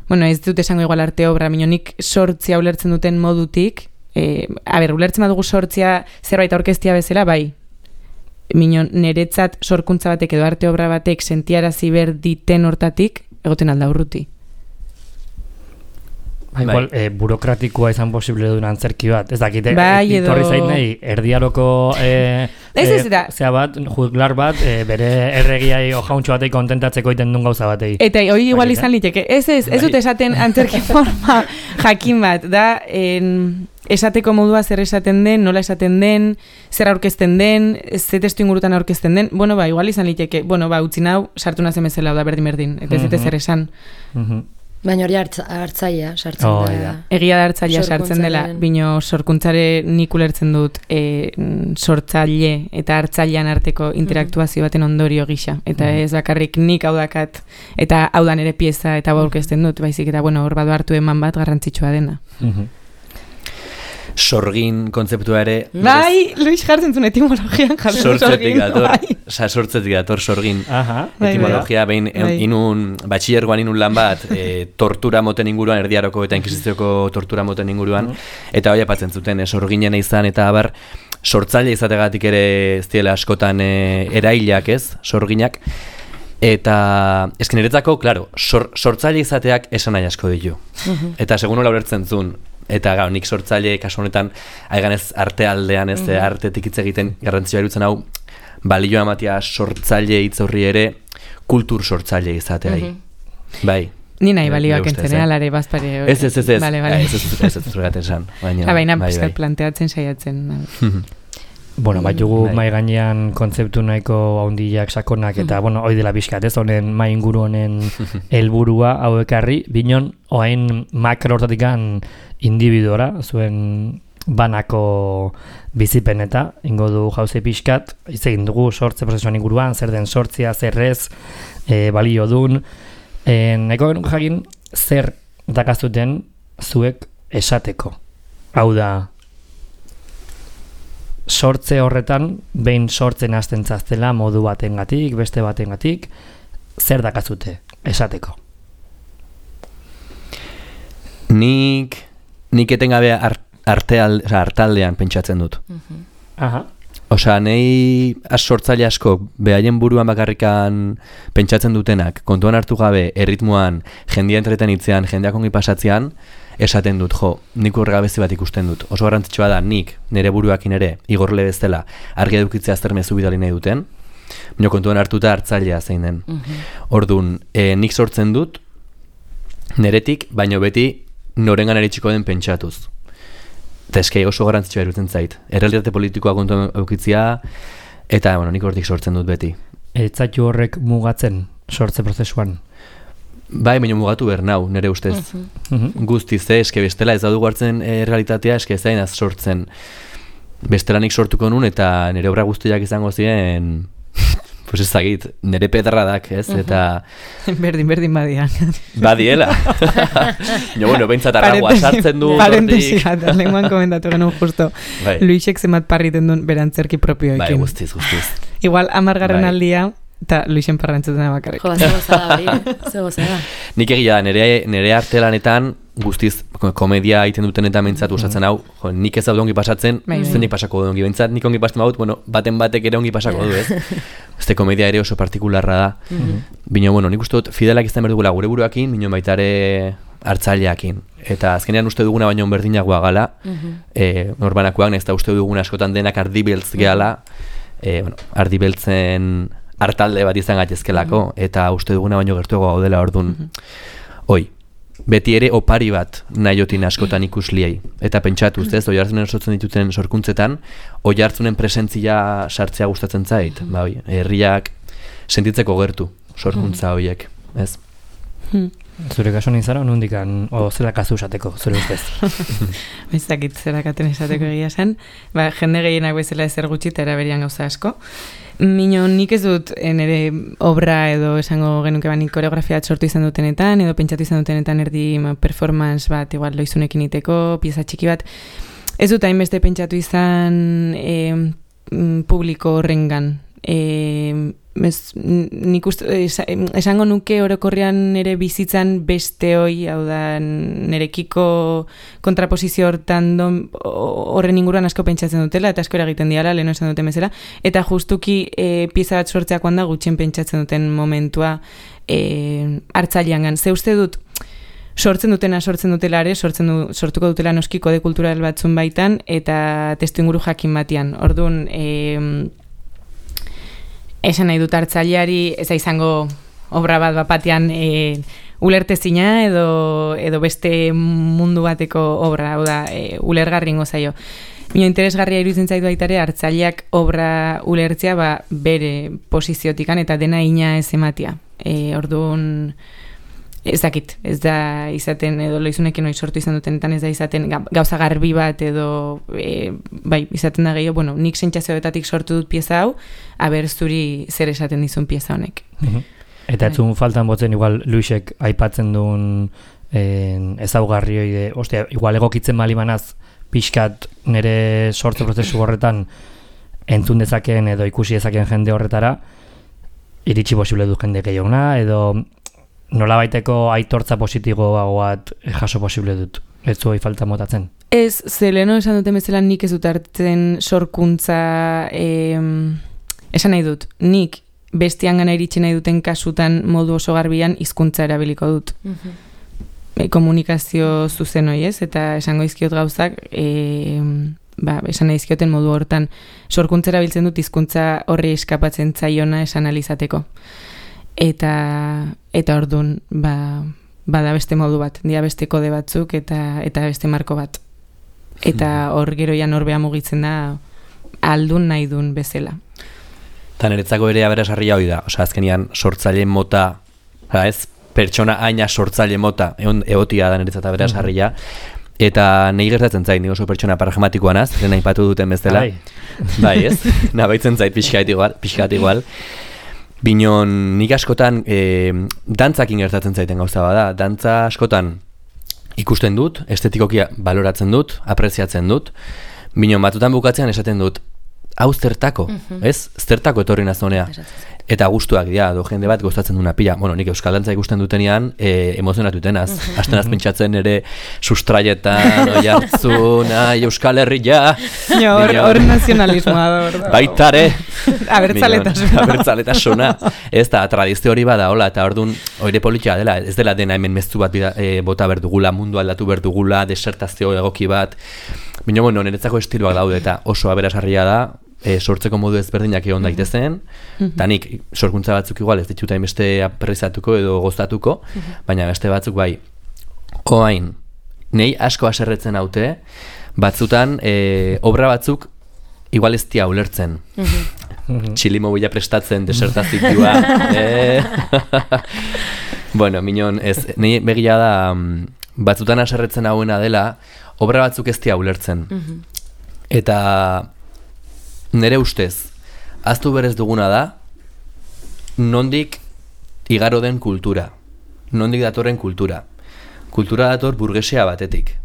bueno, ez dut esango igual arte obra, minonik sortzia ulertzen duten modutik, e, a ber, ulertzen badugu sortzia zerbait aurkeztia bezala, bai, minon niretzat sorkuntza batek edo arte obra batek sentiarazi ber diten hortatik, egoten alda urruti. Ba, igual, eh, burokratikoa izan posible duen antzerki bat. Ez dakite, Bai, ez ditorri edo- zait nahi, erdiaroko eh, Ez, ez, eh, eta- zea bat, juglar bat, eh, bere erregiai ojauntxo batei kontentatzeko iten duen gauza batei. Eta hori igual Bai, izan liteke. Ez, ez, ez Bai. dut esaten antzerki forma jakin bat, da en, esateko modua zer esaten den, nola esaten den, zer aurkezten den, ze testu ingurutan aurkezten den. Bueno, ba, igual izan liteke. Bueno, ba, utzi nau, sartu nazen bezala, da berdin-berdin. Eta ez dute Mhm. zer esan. Mhm. Baina hori hartza, hartzaia sartzen Oh, da. da. Egia da hartzailea sartzen dela, Sorkuntzaren. bino sorkuntzare nik ulertzen dut e, mm, sortzaile eta hartzailean arteko interaktuazio baten ondorio gisa. Eta ez bakarrik nik hau dakat eta hau dan ere pieza eta hau aurkezten dut, baizik eta bueno, hor badu hartu eman bat garrantzitsua dena. Mhm. Sorgin kontzeptua ere... Bai, Luis jartzen zuen etimologian jartzen Sortzetik dator, bai. oza, sortzetik dator sorgin. Aha. Bai, Etimologia, behin Bai. inun, batxillergoan inun lan bat, e, tortura moten inguruan, erdiaroko eta inkisizioko tortura moten inguruan, eta hori apatzen zuten, e, sorginen izan, eta abar, sortzaile izategatik ere ez diela askotan e, erailak ez, sorginak, eta esken niretzako, claro, sor, sortzaile izateak esan nahi asko ditu. Eta segun nola ulertzen zuen, eta gau, nik sortzaile kasu honetan aiganez arte aldean ez, mm artetik hitz egiten garrantzioa irutzen hau, balioa ematea sortzaile hitz horri ere kultur sortzaile izateai. Bai. Ni nahi Nire balioak ustez, entzen, eh? alare bazpare. Ez, ez, ez, ez, Vale, vale. ez, ez, ez, ez, ez, zurgaten esan. Baina, Ah, baina bai, pizkat bai. planteatzen saiatzen. Bueno, bat jugu Bai. mai gainean kontzeptu nahiko haundiak sakonak, eta, bueno, hoi dela bizkat, ez, honen mai inguru honen helburua hau ekarri, binon, oain makro hortatikan individuora, zuen banako bizipen eta ingo du jauze pixkat, hitz egin dugu sortze prozesuan inguruan, zer den sortzia, zer ez, e, balio dun, e, nahiko genuko jakin zer dakazuten zuek esateko. Hau da, sortze horretan, behin sortzen hasten zaztela modu batengatik, beste batengatik, zer dakazute esateko? Nik, nik etengabe art, arteal, oza, artaldean pentsatzen dut. Aha. Osea, nei az sortzaile asko behaien buruan bakarrikan pentsatzen dutenak, kontuan hartu gabe erritmoan, jendia entretenitzean, jendeak ongi pasatzean, esaten dut, jo, nik urregabezi bat ikusten dut. Oso garrantzitsua da, nik, nire buruakin ere, igorle bezala, argi edukitzea zer mezu bidali nahi duten, Bino kontuan hartuta hartzailea zein den. Orduan, e, nik sortzen dut, neretik, baino beti norengan eritxiko den pentsatuz. Eta eske oso garrantzitsua irutzen zait. Errealitate politikoa kontuan eukitzia, eta bueno, nik hortik sortzen dut beti. Etzaitu horrek mugatzen sortze prozesuan? Bai, baina mugatu behar nau, nire ustez. Uh-huh. Guztiz, eh, eske bestela ez daudu hartzen e, realitatea, eske ez zainaz sortzen. Bestela nik sortuko nun, eta nire obra guztiak izango ziren, pues ezagit, nire pedradak, ez? Uh-huh. Eta... Berdin, berdin badian. Badiela. Jo, bueno, behintzat arragoa sartzen du. Parentesi bat, lenguan komentatu genuen justo. Bai. Luisek zemat parriten duen berantzerki propioekin. Bai, guztiz, guztiz. Igual, amargarren bai. Aldia, eta Luisen parrantzuten bakarrik. Jo, ze gozada, hori, ze gozada. Nik egia da, nire, nire arte lanetan, guztiz, komedia egiten duten eta mentzat usatzen hau, jo, nik ez daude ongi pasatzen, zenik pasako du ongi bentsat, nik ongi pasatzen baut, bueno, baten batek ere ongi pasako du, ez? Este komedia ere oso partikularra da. Mm-hmm. Bino, bueno, nik uste dut fidelak izan behar dugula gure buruakin, bino baita ere hartzaileakin. Eta azkenean uste duguna baino berdinagoa gala, mm-hmm. e, norbanakoak, ez da uste duguna askotan denak ardibeltz gehala, e, bueno, ardibeltzen hartalde bat izan gaitezkelako, mm-hmm. eta uste duguna baino gertuago gaudela orduan. Mm-hmm. Oi, beti ere opari bat nahiotin askotan ikusliei. Eta pentsatu, ez, oi hartzunen sortzen dituten sorkuntzetan, oi hartzunen presentzia sartzea gustatzen zait. Ba, oi, herriak sentitzeko gertu sorkuntza horiek, ez? Zure kaso nintzara, nondikan, o zela kazu esateko, zure ustez? Bezakit zerakaten esateko egia zen. Ba, jende gehienak bezala ezer gutxi eta eraberian gauza asko. Mino, nik ez dut nire obra edo esango genuke banik koreografia sortu izan dutenetan, edo pentsatu izan dutenetan erdi ma, performance bat, igual loizunekin iteko, pieza txiki bat. Ez dut hainbeste pentsatu izan e, publiko horrengan. E, ez, nik uste, es, esango nuke orokorrean nire bizitzan beste hoi, hau da, nirekiko kontraposizio hortan don, horren inguruan asko pentsatzen dutela, eta asko eragiten diala, leheno esan duten bezala, eta justuki e, pieza bat sortzeak da gutxien pentsatzen duten momentua e, hartzailean gan. Ze uste dut, sortzen dutena sortzen dutelare, sortzen du, sortuko dutela noski kode kultural batzun baitan, eta testu inguru jakin batian. Orduan, e, esan nahi dut hartzaileari ez da izango obra bat bapatean e, ulertezina edo, edo beste mundu bateko obra, hau da, e, ulergarri ingo zaio. Bino interesgarria iruditzen zaitu baitare hartzaileak obra ulertzea ba, bere posiziotikan eta dena ina ez ematia. E, orduan, ez dakit, ez da izaten, edo loizunekin hori sortu izan dutenetan ez da izaten gauza garbi bat edo e, bai, izaten da gehiago, bueno, nik sentsazioetatik sortu dut pieza hau, aber zuri zer esaten dizun pieza honek. Mm-hmm. Eta etzun faltan botzen igual Luisek aipatzen duen eh, ezaugarri hori de, ostia, igual egokitzen malimanaz pixkat nire sortze prozesu horretan entzun dezakeen edo ikusi dezakeen jende horretara, iritsi posible du jende gehiaguna, edo nola baiteko aitortza positiboa bat jaso posible dut. Ez zuhoi falta motatzen? Ez, zeleno esan duten bezala nik ez dut hartzen sorkuntza eh, esan nahi dut. Nik bestian gana iritsi nahi duten kasutan modu oso garbian hizkuntza erabiliko dut. Mm-hmm. E, komunikazio zuzen hoi ez, eta esango izkiot gauzak eh, ba, esan nahi izkioten modu hortan sorkuntza erabiltzen dut hizkuntza horri eskapatzen zaiona esan alizateko. Eta, eta orduan, ba, bada beste modu bat, dia beste kode batzuk eta eta beste marko bat. Eta hor geroian horbea mugitzen da aldun nahi dun bezala. Eta niretzako ere aberasarria hori da, osea azkenian sortzaile mota, ez, pertsona aina sortzaile mota, egon egotia da niretzat aberasarria, eta nahi gertatzen zait, ni oso pertsona pragmatikoa naz, lehen aipatu duten bezala. Bai, ez, nabaitzen zait pixkat igual, pixkat igual. Binon, nik askotan e, dantzakin gertatzen zaiten gauza bada. Dantza askotan ikusten dut, estetikoki baloratzen dut, apreziatzen dut. Binon, batutan bukatzean esaten dut, hau zertako, mm-hmm. ez? Zertako etorri nazonea. Eta gustuak dira, do jende bat gozatzen duna pila. Bueno, nik euskal dantza ikusten dutenean, e, emozionatu tenaz. Mm-hmm. Asten azpentsatzen ere sustraietan, oi hartzun, ai, euskal herria. Hor nazionalismoa da. Baitare. Abertzaletasuna. Abertzaletasuna. Ez da, tradizio hori bada, hola, eta orduan, oire politia dela, ez dela dena hemen meztu bat bida, e, bota berdugula, mundu aldatu berdugula, desertazio egoki bat. Bino, bueno, niretzako estiloak daude, eta oso aberasarria da, e, sortzeko modu ezberdinak egon daitezen, eta nik sorkuntza batzuk igual ez dituta beste aprezatuko edo gozatuko, baina beste batzuk bai, oain, nei asko haserretzen haute, batzutan e, obra batzuk igual ez tia ulertzen. Txilimo bila prestatzen, desertazioa. eh? Bueno, minon, ez, nei begia da, batzutan haserretzen hauena dela, obra batzuk ez tia ulertzen. Eta nire ustez, ahaztu berez duguna da, nondik igaro den kultura. Nondik datorren kultura. Kultura dator burgesia batetik.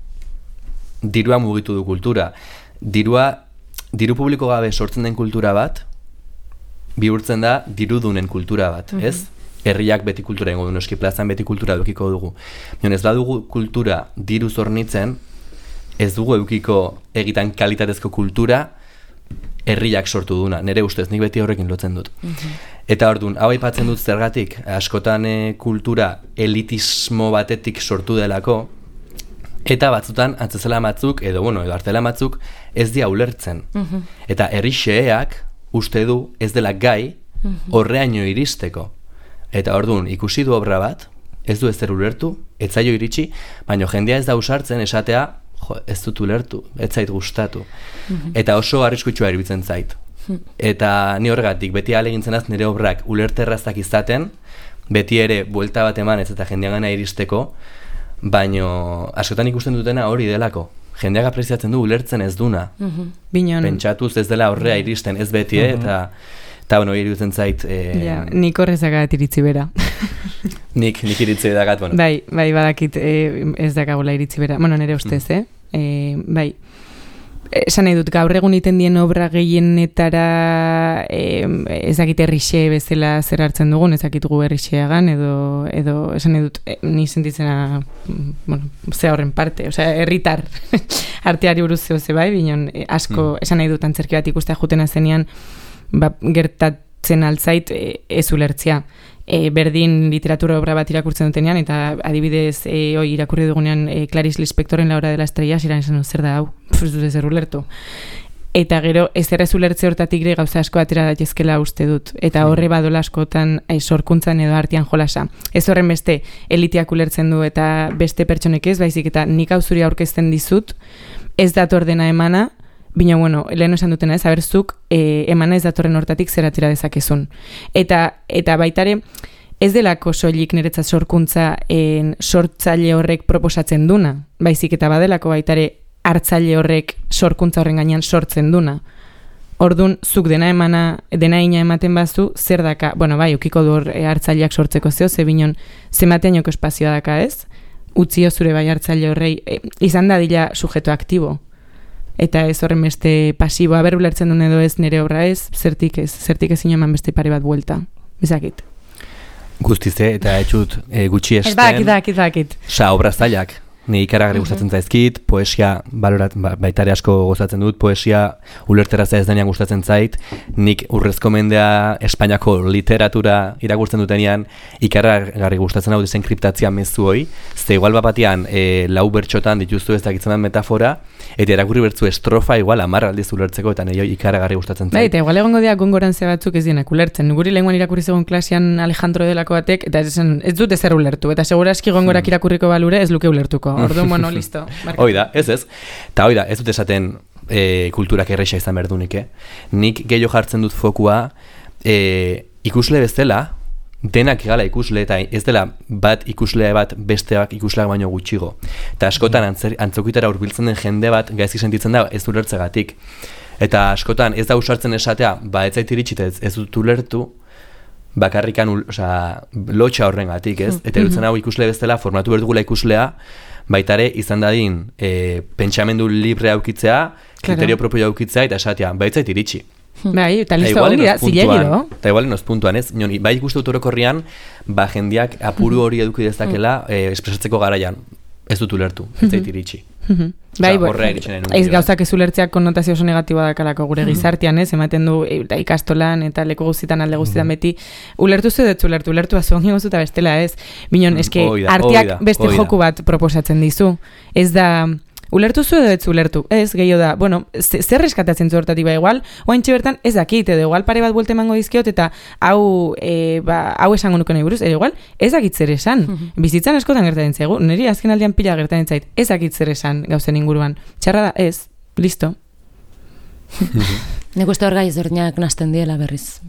Dirua mugitu du kultura. Dirua, diru publiko gabe sortzen den kultura bat, bihurtzen da dirudunen kultura bat, mm-hmm. ez? Herriak beti kultura ingo du, noski plazan beti kultura edukiko dugu. Mion ez badugu kultura diru zornitzen, ez dugu edukiko egitan kalitatezko kultura herriak sortu duna. Nere ustez, nik beti horrekin lotzen dut. Mm-hmm. Eta orduan, hau aipatzen dut zergatik, askotan e, kultura elitismo batetik sortu delako, eta batzutan antzezela batzuk, edo bueno, edo artela batzuk, ez dia ulertzen. Mm-hmm. Eta herri xeheak uste du ez dela gai horreaino iristeko. Eta orduan, ikusi du obra bat, ez du ezer ulertu, ez zaio iritsi, baina jendea ez da usartzen esatea, jo, ez dut ulertu, ez zait gustatu. Mm-hmm. Eta oso arriskutsua iruditzen zait. Mm-hmm. Eta ni horregatik, beti ahalegintzen az nire obrak ulerterrazak izaten, beti ere buelta bat eman ez eta jendea gana iristeko, baina askotan ikusten dutena hori delako. Jendeak apreziatzen du ulertzen ez duna. Mm-hmm. Pentsatuz ez dela horrea iristen ez beti, mm-hmm. eta eta bueno, iruditzen zait... Eh, ja, nik horrezagat iritzi bera. nik, nik iritzi bedagat, bueno. Bai, bai, badakit eh, ez dakagula iritzi bera. Bueno, nire ustez, mm. eh? eh? Bai, esan nahi dut, gaur egun iten dien obra gehienetara eh, ezakit errixe bezala zer hartzen dugun, ezakit gu errixeagan, edo, edo esan nahi dut, eh, ni sentitzena, bueno, ze horren parte, osea, herritar arteari buruz zeo ze bai, binon, eh, asko, mm. esan nahi dut, antzerki bat ikustea jutena zenean, ba, gertatzen altzait e, ez ulertzia. E, berdin literatura obra bat irakurtzen dutenean, eta adibidez e, oi, irakurri dugunean e, Clarice Lispectoren La hora de la estrella, ziren esan zer da hau, pues dut ezer ulertu. Eta gero, ez errez ulertze hortatik ere gauza asko atera daitezkela uste dut. Eta horre badola askotan e, sorkuntzan edo artean jolasa. Ez horren beste eliteak ulertzen du eta beste pertsonek ez, baizik eta nik hau zuri aurkezten dizut, ez dator dena emana, bina, bueno, lehen esan dutena ez, aberzuk e, emana ez datorren hortatik zer atera dezakezun. Eta, eta baitare, ez delako soilik niretzat sorkuntza en, sortzaile horrek proposatzen duna, baizik eta badelako baitare hartzaile horrek sorkuntza horren gainean sortzen duna. Ordun zuk dena emana, dena ina ematen bazu, zer daka, bueno, bai, ukiko du e, hartzaileak sortzeko zeo, ze binon, zemateainoko espazioa daka ez, utzio zure bai hartzaile horrei, e, izan da dila sujeto aktibo. Eta ez horren beste pasiboa, ber ulertzen duen edo ez nire obra ez, zertik ez, zertik ezin eman beste pare bat buelta. Bizakit. Guztize, eta etxut e, gutxi esten. Ez dakit, dakit, dakit. Sa, obra zailak. Ni ikaragarri uh-huh. gustatzen zaizkit, poesia, balorat, ba, baitare asko gozatzen dut, poesia ulerteraza ez denean gustatzen zait, nik urrezko mendea Espainiako literatura irakurtzen dutenean ikaragarri gustatzen hau dizen kriptatzia mezu hoi, ze igual bapatian e, lau bertxotan dituzu ez dakitzen den metafora, eta irakurri bertzu estrofa igual amarra aldiz ulertzeko, eta nire ikaragarri gustatzen zait. Bai, eta igual egongo dira gongorantze batzuk ez dienak ulertzen. Guri lehenguan irakurri zegoen klasean Alejandro delako batek, eta ez, ez dut ezer ulertu, eta seguraski gongorak irakurriko balure ez luke ulertuko. Orduan, bueno, listo. Oida, ez ez. Ta oida, ez dut esaten e, kulturak erreixa izan behar dunik, eh? Nik gehiago jartzen dut fokua e, ikusle bezala, denak egala ikusle, eta ez dela bat ikuslea bat besteak ikusleak baino gutxigo. Eta askotan antzer, antzokitara hurbiltzen den jende bat gaizki sentitzen da ez ulertzegatik. Eta askotan ez da usartzen esatea, ba ez zait iritsi ez, ez dut ulertu, bakarrikan, osea, lotxa horrengatik, ez? Eta erutzen hau ikusle bezala formatu berdugula ikuslea, baitare izan dadin e, pentsamendu libre aukitzea, kriterio propio aukitzea, eta esatea, baitzait iritsi. Bai, eta listo ongi da, zilegi do. Eta igualen oz puntuan, ez? Nion, bai ikustu orokorrian, ba jendiak apuru hori eduki dezakela e, espresatzeko garaian. Ez dut ulertu, ez zait iritsi. Bai, ez gauzak ez ulertzeak konnotazio oso negatiboa dakalako gure gizartean, ez? Ematen du eta ikastolan eta leku guztietan alde guztietan beti ulertu zu dut ulertu, ulertu azuan gozu eta bestela, ez? Binon, eske arteak beste joku bat proposatzen dizu. Ez da ulertu zu edo ez ulertu, ez, gehiago da, bueno, zer reskatatzen zu hortatik, ba, igual, oaintxe bertan ez dakit, edo igual pare bat buelte emango dizkiot, eta hau, e, ba, hau esango nuke nahi buruz, edo igual, ez dakit zer esan, bizitzan askotan gertatzen zaigu, niri azken aldean pila gertatzen zait, ez dakit zer esan gauzen inguruan, txarra da, ez, listo. Nik uste hor gai ezberdinak nasten diela berriz.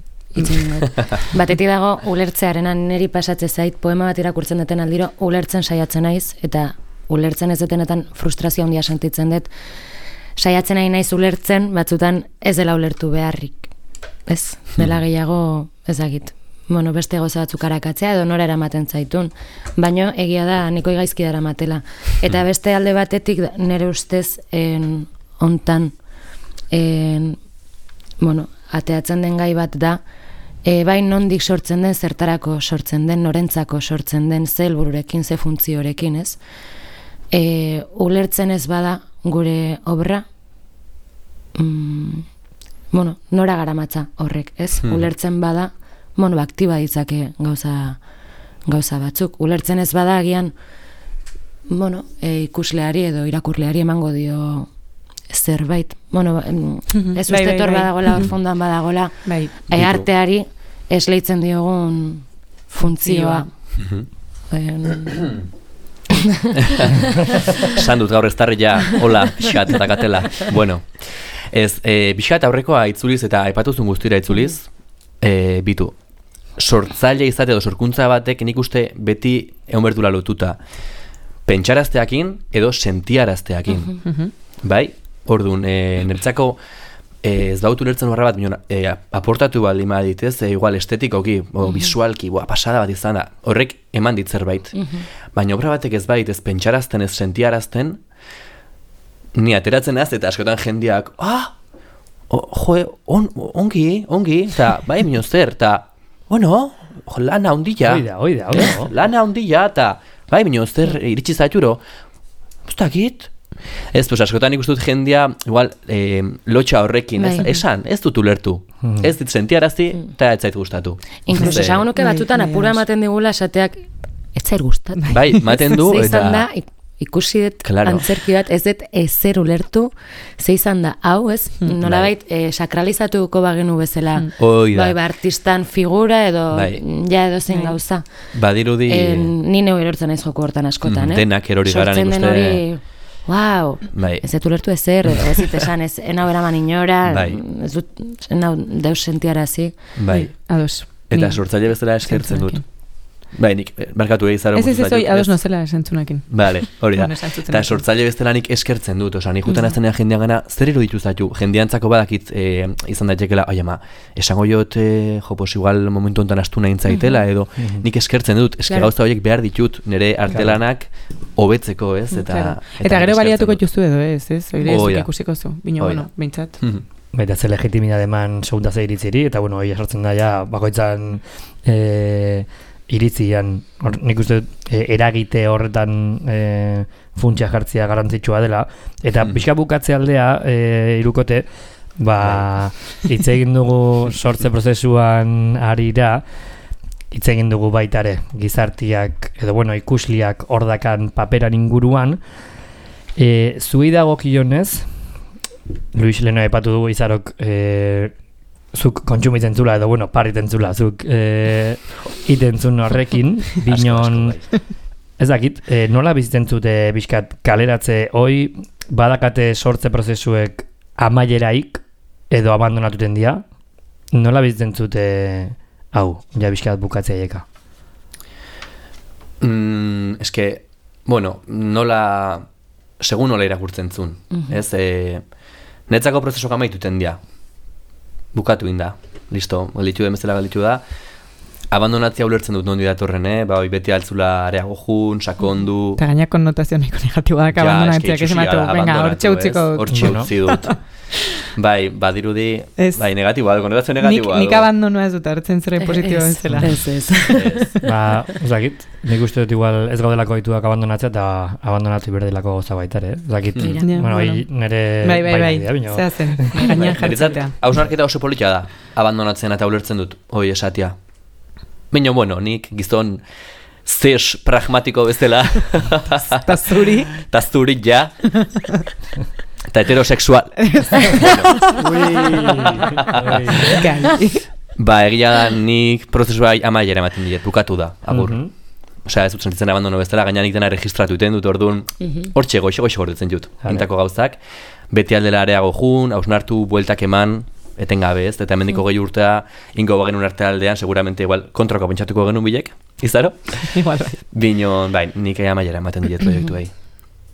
Batetik dago ulertzearenan niri pasatze zait, poema bat irakurtzen duten aldiro, ulertzen saiatzen naiz, eta ulertzen ez detenetan frustrazio handia sentitzen dut, saiatzen nahi naiz ulertzen, batzutan ez dela ulertu beharrik. Ez, dela gehiago ezagit. Bueno, beste goza batzuk arakatzea edo nora eramaten zaitun. Baino egia da, niko gaizki dara matela. Eta beste alde batetik nire ustez en, ontan en, bueno, ateatzen den gai bat da, e, bai nondik sortzen den, zertarako sortzen den, norentzako sortzen den, ze helbururekin, ze funtziorekin, ez? E, ulertzen ez bada gure obra, mm, bueno, nora garamatza horrek, ez? Hmm. Ulertzen bada, bueno, aktiba ditzake gauza, gauza batzuk. Ulertzen ez bada agian, bueno, e, ikusleari edo irakurleari emango dio zerbait. Bueno, mm-hmm. ez uste tor badagola, hor fondoan badagola, bai. e, arteari esleitzen diogun funtzioa. Esan dut gaur ez tarri ja, hola, pixat eta katela. Bueno, ez, e, pixat aurrekoa itzuliz eta aipatuzun guztira itzuliz, e, bitu, sortzaile izate edo sorkuntza batek nik uste beti egon bertula lotuta pentsarazteakin edo sentiarazteakin. Uh-huh. Bai? Orduan, e, nertzako e, ez dautu lertzen horra bat, minon, e, aportatu baldin badit, ez, e, igual estetikoki, o visualki, boa, pasada bat izan da, horrek eman dit zerbait. Uh-huh. Baina obra batek ez bait, ez pentsarazten, ez sentiarazten, ni ateratzen az, eta askotan jendeak, ah, o, jo, on, ongi, ongi, eta bai, minon zer, eta, bueno, jo, lana ondila. Oida, oida, oida. Lana ondila, eta, bai, minon zer, iritsi zaituro, ustakit, ez, pues askotan ikustut jendia, igual, eh, lotxa horrekin, ez, esan, ez dut ulertu, hmm. ez dit sentiarazi, eta ez zait gustatu. Inkluso esango nuke batzutan apura ematen digula esateak, ez zait gustatu. Bai, ematen du, eta... Ze izan da, ikusi dut claro. Antzerki bat, ez dut ezer ulertu, ze izan da, hau, ez, hmm. nolabait, eh, sakralizatuko bagenu bezala, hmm. bai, ba, artistan figura edo, bai. Ja edo zein gauza. Badirudi... Eh, ni neu erortzen ez joko hortan askotan, mm, eh? Denak erori gara nik uste... Wow, bai. Ez dut ulertu ezer, ez dit esan, ez enau eraman inora, bai. Ez dut enau deus sentiarazi. Bai, ados. Eta sortzaile bezala eskertzen dut. Bai, nik, markatu egizaren. Ez ez ez, oi, ados nozela esentzunakin. Bale, hori da. Eta sortzaile bezala nik eskertzen dut, oza, nik jutan aztenea jendean gana, zer iruditu zaitu, jendeantzako badakit e, izan daitekela, oi ama, esango jot, e, jo, pos, igual momentu ontan astu nahi zaitela, edo mm-hmm. nik eskertzen dut, eske claro. Gauza horiek behar ditut, nire artelanak hobetzeko, ez, eta... Claro. Eta, eta gero baliatuko justu edo, ez, ez, oire ez ikusiko zu, bino, bueno, behintzat. Baita ze legitimidad eman segunda ze iritziri, eta bueno, hori esartzen da ja, bakoitzan... E, iritzian, or, nik uste e, eragite horretan e, funtsia jartzea garrantzitsua dela, eta hmm. pixka bukatze aldea e, irukote, ba, hitz egin dugu sortze prozesuan arira, hitz egin dugu baitare, gizartiak, edo bueno, ikusliak ordakan paperan inguruan, e, zui dagokionez, Luis leno aipatu dugu izarok, e, zuk kontsumitzen zula, edo, bueno, pariten zula, zuk e, iten zun horrekin, binon, ez dakit, e, nola bizitzen zute bizkat kaleratze, hoi badakate sortze prozesuek amaieraik, edo abandonatuten dia, nola bizitzen zute hau, ja bizkat bukatzeieka? Mm, eske, bueno, nola, segun nola irakurtzen zun, uh-huh. ez, e, netzako prozesuak amaituten dia, bukatu inda, listo, galditu den bezala galditu da. Abandonatzea ulertzen dut nondi datorren, eh? Ba, beti altzula areago jun, sakondu... Eta gainak konnotazio nahiko negatiboak abandonatzeak, ez ematu, venga, hortxe utziko dut. Hortxe utzi dut. Bai, badirudi, bai, negatiboa, konnotazio negatiboa. Nik abandonoa ez dut, hartzen zera positiboa bezala. Ez, ez. Ba, uzakit, nik uste dut igual ez gaudelako dituak abandonatzea eta abandonatu iberdelako goza baitare, eh? Uzakit, bueno, nire... Bai, bai, bai, zehazen, gainean jartzetea. Hausnarketa oso politia da, abandonatzen eta ulertzen dut, hoi esatia. Baina, bueno, nik gizon zes pragmatiko bezala. Ta zuri. Ta zuri, ja. Eta heterosexual. Ba, egia da nik prozesua amaiera ematen diet, bukatu da, agur. Mm -hmm. Osea, ez dut sentitzen abandono bezala, gaina nik dena registratu iten dut, orduan, hortxe goixo, goixo gordetzen dut, intako gauzak. Beti aldela areago jun, hausnartu, bueltak eman, etengabe ez, eta hemendiko gehi urtea, ingo bagenun arte aldean, seguramente igual kontrako pentsatuko genuen bilek, izaro? Igual, bai. Binon, bai, nik amaiera ematen diet proiektu behi.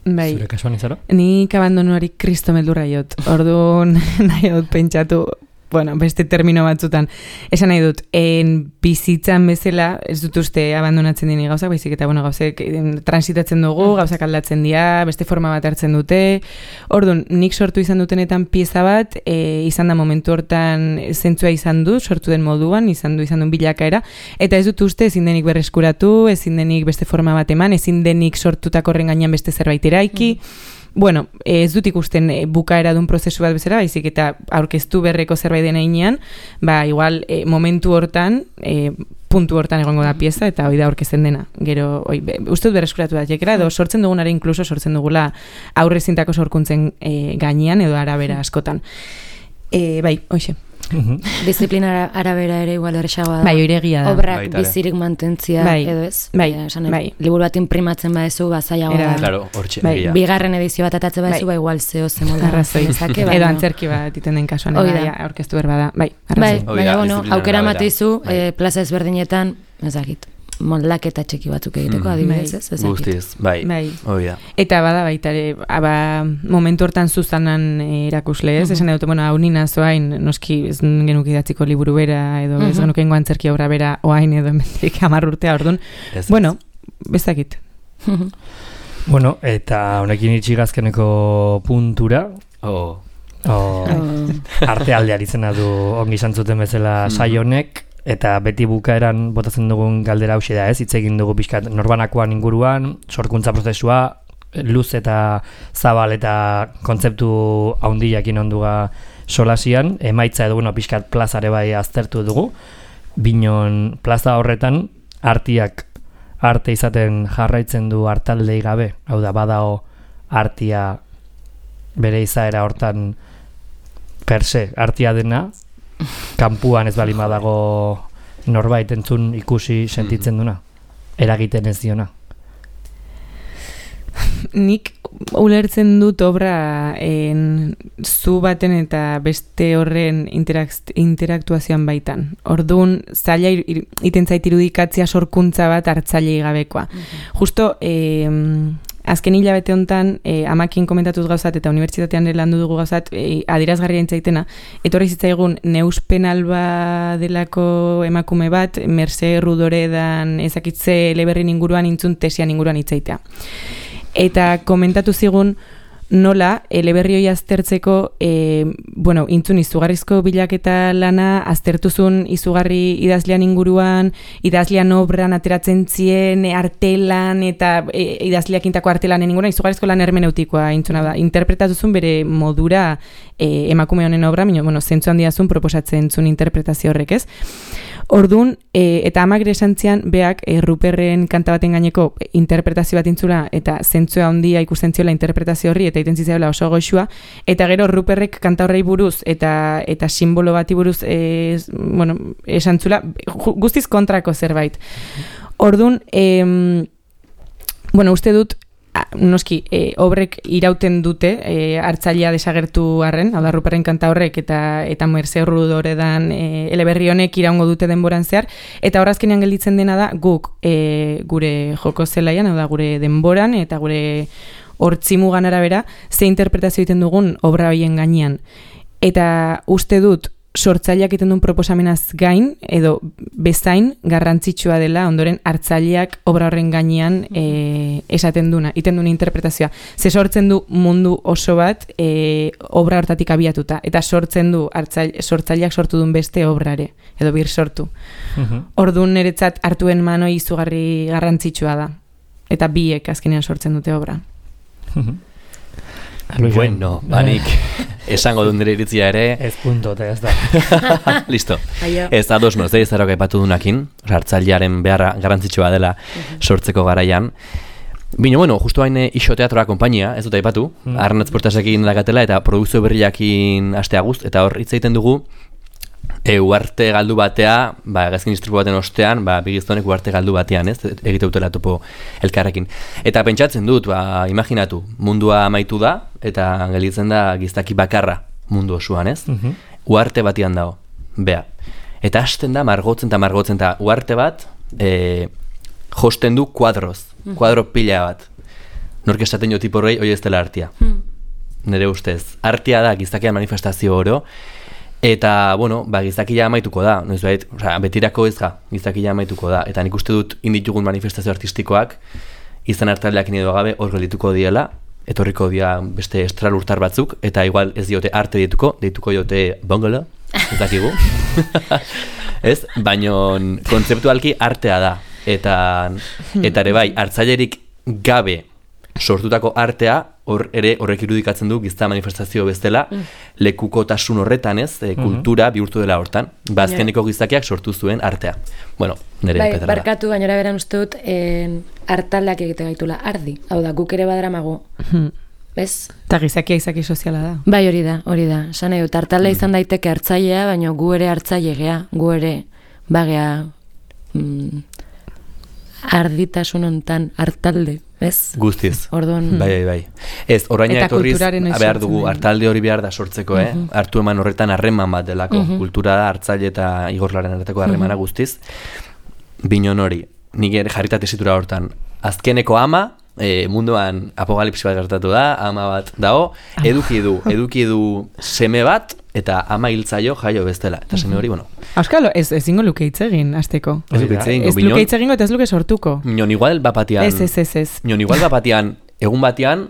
Bai. Zure kasuan izaro? Nik abandonuari kristo meldurra jot. Orduan nahi dut pentsatu, bueno, beste termino batzutan. Esan nahi dut, en bizitzan bezala, ez dut uste abandonatzen dini gauzak, baizik eta, bueno, gauzek transitatzen dugu, gauzak aldatzen dira, beste forma bat hartzen dute. Orduan, nik sortu izan dutenetan pieza bat, e, izan da momentu hortan zentzua izan du, sortu den moduan, izan du izan duen bilakaera, eta ez dut uste ezin denik berreskuratu, ezin denik beste forma bat eman, ezin denik sortutako horren gainean beste zerbait eraiki. Mm. Bueno, ez dut ikusten bukaera duen prozesu bat bezala, baizik eta aurkeztu berreko zerbait dena inean, ba, igual, e, momentu hortan, e, puntu hortan egongo da pieza, eta hoi da aurkezten dena. Gero, oi, be, uste dut berreskuratu da, jekera, edo sortzen dugunara inkluso sortzen dugula aurre zintako sorkuntzen e, gainean, edo arabera askotan. E, bai, hoxe. Disiplina arabera ere igual erresagoa da. Bai, oiregia da. Obrak bizirik mantentzia, bai, edo ez? Bai, esan, bai. Liburu bat imprimatzen badezu, bazaiagoa da. Claro, hortxe, bai. Bigarren edizio bat atatze badezu, bai, igual zeo zemolda. Arrazoi. Bai, edo antzerki bat iten den kasuan, eda, aurkeztu berba da. Bai, arrazoi. Bai, baina, bueno, aukera mateizu, eh, plaza ezberdinetan, ezakit, moldaketa txeki batzuk egiteko, mm. adibidez, ez? Ezakit. Guztiz, bai, bai. Hoi da. Eta bada baita ere, aba, momentu hortan zuzanan erakusle, ez? Mm-hmm. Esan edut, bueno, hau nina zoain, noski ez genuk idatziko liburu bera, edo mm-hmm. ez genuk engo antzerki obra bera, oain edo emendik hamar urtea, orduan. Bueno, bezakit. Bueno, eta honekin itxigazkeneko puntura, oh. Oh. Oh. Arte aldear izena du ongi zantzuten bezala mm-hmm. saionek, eta beti bukaeran botatzen dugun galdera hauxe da, ez? Hitz egin dugu pixkat norbanakoan inguruan, sorkuntza prozesua, luz eta zabal eta kontzeptu haundiakin onduga solasian, emaitza edo bueno, pixkat plazare bai aztertu dugu, binon plaza horretan artiak arte izaten jarraitzen du artaldei gabe, hau da badao artia bere izaera hortan per se, artia dena, kanpuan ez balima dago norbait entzun ikusi sentitzen duna, eragiten ez diona. Nik ulertzen dut obra en, zu baten eta beste horren interakt, interaktuazioan baitan. Orduan, zaila iten zait irudikatzea sorkuntza bat hartzailei gabekoa. Mm-hmm. Justo, eh, azken hilabete hontan, eh, amakin komentatuz gauzat eta unibertsitatean landu dugu gauzat, eh, adierazgarria intzaitena, etorri zitzaigun neuspen alba delako emakume bat, Merce Rudoredan ezakitze eleberrin inguruan intzun tesian inguruan itzaitea. Eta komentatu zigun nola eleberri hori aztertzeko e, bueno, intzun izugarrizko bilaketa lana aztertuzun izugarri idazlean inguruan, idazlean obran ateratzen zien, artelan eta e, idazleak intako artelanen inguruan izugarrizko lan hermeneutikoa intzuna da. Interpretatuzun bere modura e, emakume honen obra, minio, bueno, zentzu handiazun proposatzen zuen interpretazio horrek, ez? Orduan, e, eta amak esan zian, beak, e, Ruperren kanta baten gaineko interpretazio bat intzula, eta zentzua handia ikusten ziola interpretazio horri, eta iten zizela oso goxua, eta gero Ruperrek kanta horrei buruz, eta eta simbolo bati buruz, e, bueno, esan zula, guztiz kontrako zerbait. Orduan, e, bueno, uste dut, noski, e, obrek irauten dute e, hartzailea desagertu arren, hau da Ruperren kanta horrek eta eta Merce Rudoredan e, eleberri honek iraungo dute denboran zehar, eta horazkenean gelditzen dena da guk e, gure joko zelaian, hau da gure denboran eta gure hortzimugan arabera ze interpretazio egiten dugun obra horien gainean. Eta uste dut sortzaileak egiten duen proposamenaz gain, edo bezain garrantzitsua dela, ondoren hartzaileak obra horren gainean e, esaten duna, egiten duen interpretazioa. Ze sortzen du mundu oso bat e, obra hortatik abiatuta, eta sortzen du hartzaile, sortzaileak sortu duen beste obrare, edo bir sortu. Uh-huh. Orduan niretzat hartuen manoi izugarri garrantzitsua da, eta biek azkenean sortzen dute obra. Uh-huh. Bueno, banik... esango dut nire iritzia ere. Ez punto, eta ez da. Listo. Ez ados noz, ez zarok aipatu dunakin, hartzailearen beharra garrantzitsua dela sortzeko garaian. Bino, bueno, justu hain Ixo Teatroa konpainia, ez dut aipatu, mm. Arnatz Portasekin dakatela eta produkzio berriakin astea guzt, eta hor hitz egiten dugu, E, uarte galdu batea, ba, gazkin istripu baten ostean, ba, bigiztonek uarte galdu batean, ez, egite utela topo elkarrekin. Eta pentsatzen dut, ba, imaginatu, mundua amaitu da, eta gelitzen da giztaki bakarra mundu osoan, ez? Mm-hmm. Uarte batean dago, bea. Eta hasten da, margotzen eta margotzen, eta uarte bat, e, josten du kuadroz, mm-hmm. kuadro pila bat. Nork esaten jo tiporrei, hoi ez dela artia. Mm. Nere ustez, artia da giztakian manifestazio oro, eta, bueno, ba, gizakia amaituko da, noiz bait, osea, betirako ez ga, gizakia amaituko da, eta nik uste dut inditugun manifestazio artistikoak, izan hartaleak edo gabe hor geldituko diela, etorriko dia beste estralurtar batzuk, eta igual ez diote arte dituko, deituko diote bongolo, ez dakigu, ez, baino kontzeptualki artea da, eta, eta ere bai, hartzailerik gabe sortutako artea, hor ere horrek irudikatzen du gizta manifestazio bezala, mm. lekukotasun horretan, ez, e, kultura bihurtu dela hortan. Ba, azkeneko gizakiak sortu zuen artea. Bueno, nire bai, petarra da. Barkatu, bainora beran uste dut, en, artaldeak egite gaitula, ardi. Hau da, guk ere badaramago. Ez? Eta gizakia izaki soziala da. Bai, hori da, hori da. Esan nahi dut, artalde izan daiteke hartzailea, baina gu ere hartzaile gea, gu ere bagea mm, arditasun hontan hartalde, ez? Guztiz. Orduan... Bai, bai, bai. Ez, oraina etorriz, behar dugu, hartalde hori behar da sortzeko, eh? Uh-huh. Hartu eman horretan harreman bat delako. Uh-huh. Kultura da, hartzaile eta igorlaren arteko harremana uh-huh. guztiz. Binon hori, nik ere jarrita tesitura hortan. Azkeneko ama, e, munduan apokalipsi bat gertatu da, ama bat dago, eduki du, eduki du seme bat, eta ama hiltzaio jaio bestela. Eta seme hori, bueno... Auskalo, ez ezingo luke hitz egin, azteko. Ez luke hitz egin, ez luke hitz egingo eta ez luke sortuko. Minon igual bapatian... Ez, ez, ez, ez. Minon igual bapatian, egun batean...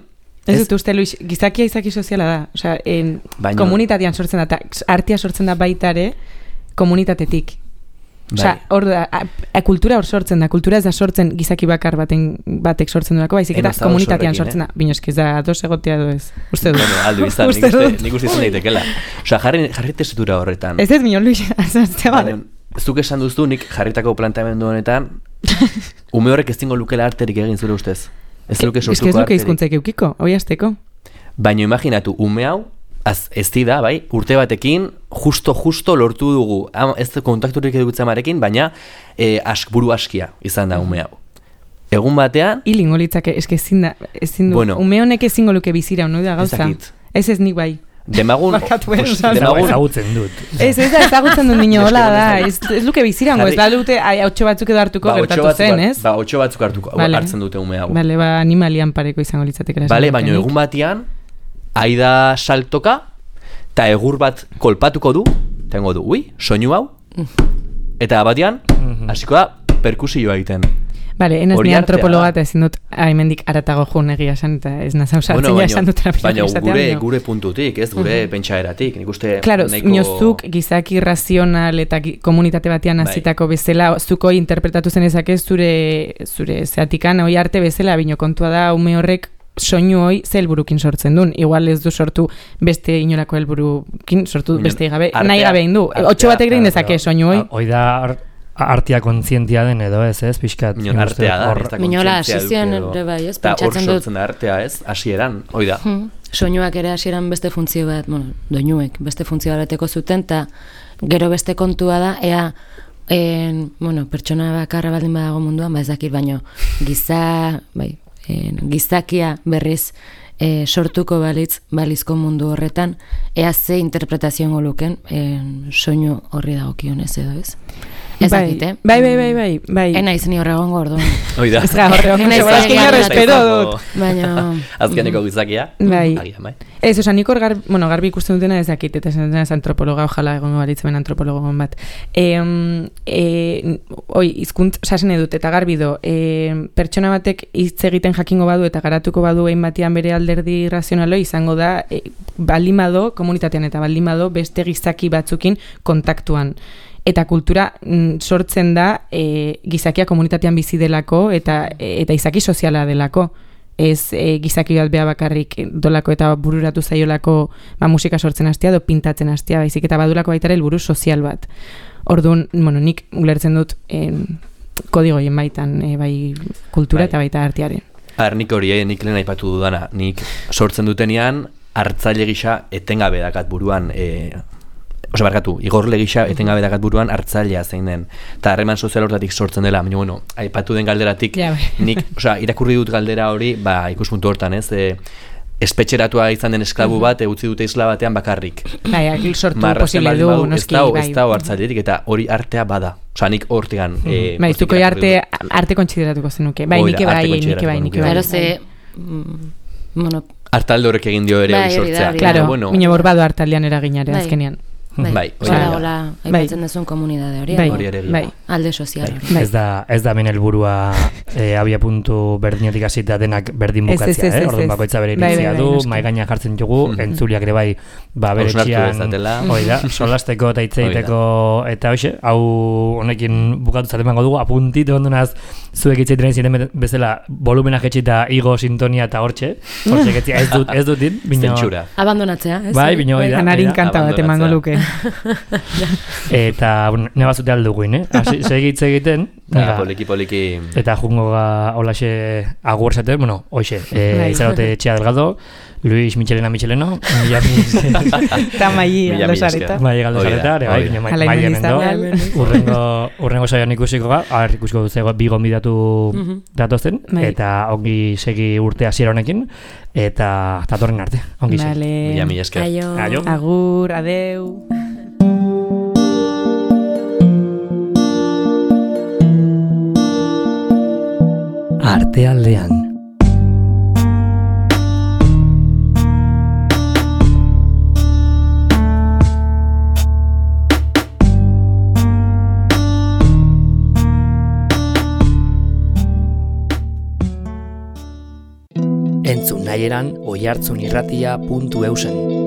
Ez dut uste, Luis, gizakia izaki soziala da. Osea, en Baino... komunitatean sortzen da, eta artia sortzen da baitare komunitatetik. Osea, hor da, a, a, kultura hor sortzen da, kultura ez da sortzen gizaki bakar baten batek sortzen duelako, baizik eta komunitatean sortzen da. Eh? Bino eskiz da, dos egotea du ez. Uste du. Bueno, aldu izan, nik uste, nik uste izan daitekela. Osea, jarri, jarri tesitura horretan. Ez ez, Minon, Luis, azazte bat. Zuk esan duzu, nik jarritako planteamendu honetan, ume horrek ez zingo lukela arterik egin zure ustez. Ez luke sortuko arterik. Ez luke izkuntzaik eukiko, hoi azteko. Baina imaginatu, ume hau, Az, ez da, bai, urte batekin, justo-justo lortu dugu, ez kontakturik edukitzen marekin, baina e, ask, buru askia izan da ume hau. Egun batean... Ilingo litzake, eske ezin da, ezin du, bueno, ume honek ezingo luke bizira, honu da gauza. Ez ez nik bai. Demagun... Demagun ezagutzen dut. Ez, ez da, ezagutzen dut nino, hola da, ez, ez luke bizirango, ez da dute, hautxo batzuk edo hartuko ba, gertatu zen, ez? Ba, hautxo batzuk hartuko, vale. Hartzen dute ume hau. Bale, ba, animalian pareko izango litzatek. Bale, baina egun batean, aida saltoka, eta egur bat kolpatuko du, tengo du, ui, soinu hau, eta batean, hasiko da, perkusioa egiten. Bale, enaz ni antropologa eta ezin dut haimendik aratago joan egia esan, eta ez nazau sartzen ja esan dut terapia. Baina gure, gure puntutik, ez, gure uh-huh. pentsaeratik, nik uste... Claro, neko... niozuk gizaki razional eta komunitate batean azitako bai. Bezala, zuko interpretatu zenezak ez zure, zure zeatikan, hoi arte bezala, bino kontua da, ume horrek, soinu hoi ze helburukin sortzen duen. Igual ez du sortu beste inolako helburukin sortu beste gabe, nahi gabe egin du. Otxo batek egin dezake soinu hoi. Hoi da artia kontzientia den edo ez, ez, pixkat. Minon artea da, ez da Minola, asizioan ere bai, ez, pentsatzen dut. Hor sortzen da artea, ez, hasieran, hoi da. Hmm. Soinuak ere hasieran beste funtzio bat, bueno, doinuek, beste funtzio bareteko zuten, eta gero beste kontua da, ea, en, bueno, pertsona bakarra baldin badago munduan, ba ez dakit, baino, giza, bai, en, gizakia berriz e, sortuko balitz, balizko mundu horretan, ea ze interpretazioen goluken, soinu horri dagokionez edo ez. Ez dakit, eh? Bai, bai, bai, bai, bai. Ena izen horregon gordoan. Oida. Ez ga horregon, ez espero dut. Baina... Azkeneko gizakia. Bai. Agian, bai. Ez, oza, nik hor garbi, bueno, garbi ikusten dutena ez dakit, eta esan ez antropologa, ojala egon balitzen antropologon bat. E, e, oi, izkuntz, osasen edut, eta garbi do, e, pertsona batek hitz egiten jakingo badu eta garatuko badu egin batean bere alderdi razionalo izango da, e, baldimado, komunitatean eta baldimado, beste gizaki batzukin kontaktuan. Eta kultura mm, sortzen da e, gizakia komunitatean bizi delako eta, e, eta izaki soziala delako. ez e, gizaki bat beha bakarrik dolako eta bururatu zaiolako ba, musika sortzen hastea, do pintatzen hastea, baizik eta badulako baitara helburu sozial bat. Orduan, bueno, nik ulertzen dut en, kodigoien baitan, e, bai kultura bai. Eta baita artearen. Har, nik hori, eh, nik lehen aipatu dudana, nik sortzen dutenean, hartzaile gisa etengabe dakat buruan, e, osa barkatu, igorle gisa etengabe dakat buruan hartzailea zein den. Eta harreman sozial hortatik sortzen dela, baina bueno, aipatu den galderatik, ja, nik, osa, irakurri dut galdera hori, ba, ikuspuntu hortan, ez, e, espetxeratua izan den esklabu bat, utzi dute isla batean bakarrik. Bai, sortu posible du, noski, bai. Ez dago hartzailetik, eta hori artea bada. Osa, nik hortigan... Mm. Eh, bai, zuko arte, arte kontsideratuko zenuke. Bai, nike bai, nike bai, nike bai. Claro, ze... Bueno... Artalde horrek egin dio ere hori sortzea. Claro, bueno, mine borbado artaldean eraginare azkenean. Bai, bai, hola, aipatzen dezun komunidade hori, bai, alde sozial. Ez da, ez da min helburua eh, abia puntu berdinetik hasita denak berdin bukatzea, eh? Orduan bakoitza bere iritzia du, mai gaina jartzen dugu, entzuliak ere bai, ba bere txian, hoi da, solasteko eta hitzeiteko, eta hoxe, hau honekin bukatu zaten bango dugu, apuntito ondonaz, zuek hitzeiten ziren bezala, volumena jetxita igo, sintonia eta hortxe, hortxe getzia ez dut, ez dutin, bino... Abandonatzea, ez? Bai, bino, hoi da. Anarin kanta bat emango luke. Eta, bueno, neba zute alduguin, eh? Segitze egiten. Ja, poliki, poliki. Eta jungo ga holaxe agur zaten, bueno, hoxe, eh, izarote Txea Delgado, Luis Michelena Micheleno, eta Maia Galdosareta. Maia Galdosareta, ere bai, bine Maia Mendo. Urrengo saioan ikusiko ga, har ikusiko duzego bi gonbidatu datozen, eta ongi segi urte hasiera honekin, eta datorren arte, ongi segi. Mila, mila esker. Agur, adeu. Artealdean. Entzun nahieran oihartzunirratia puntu eusen.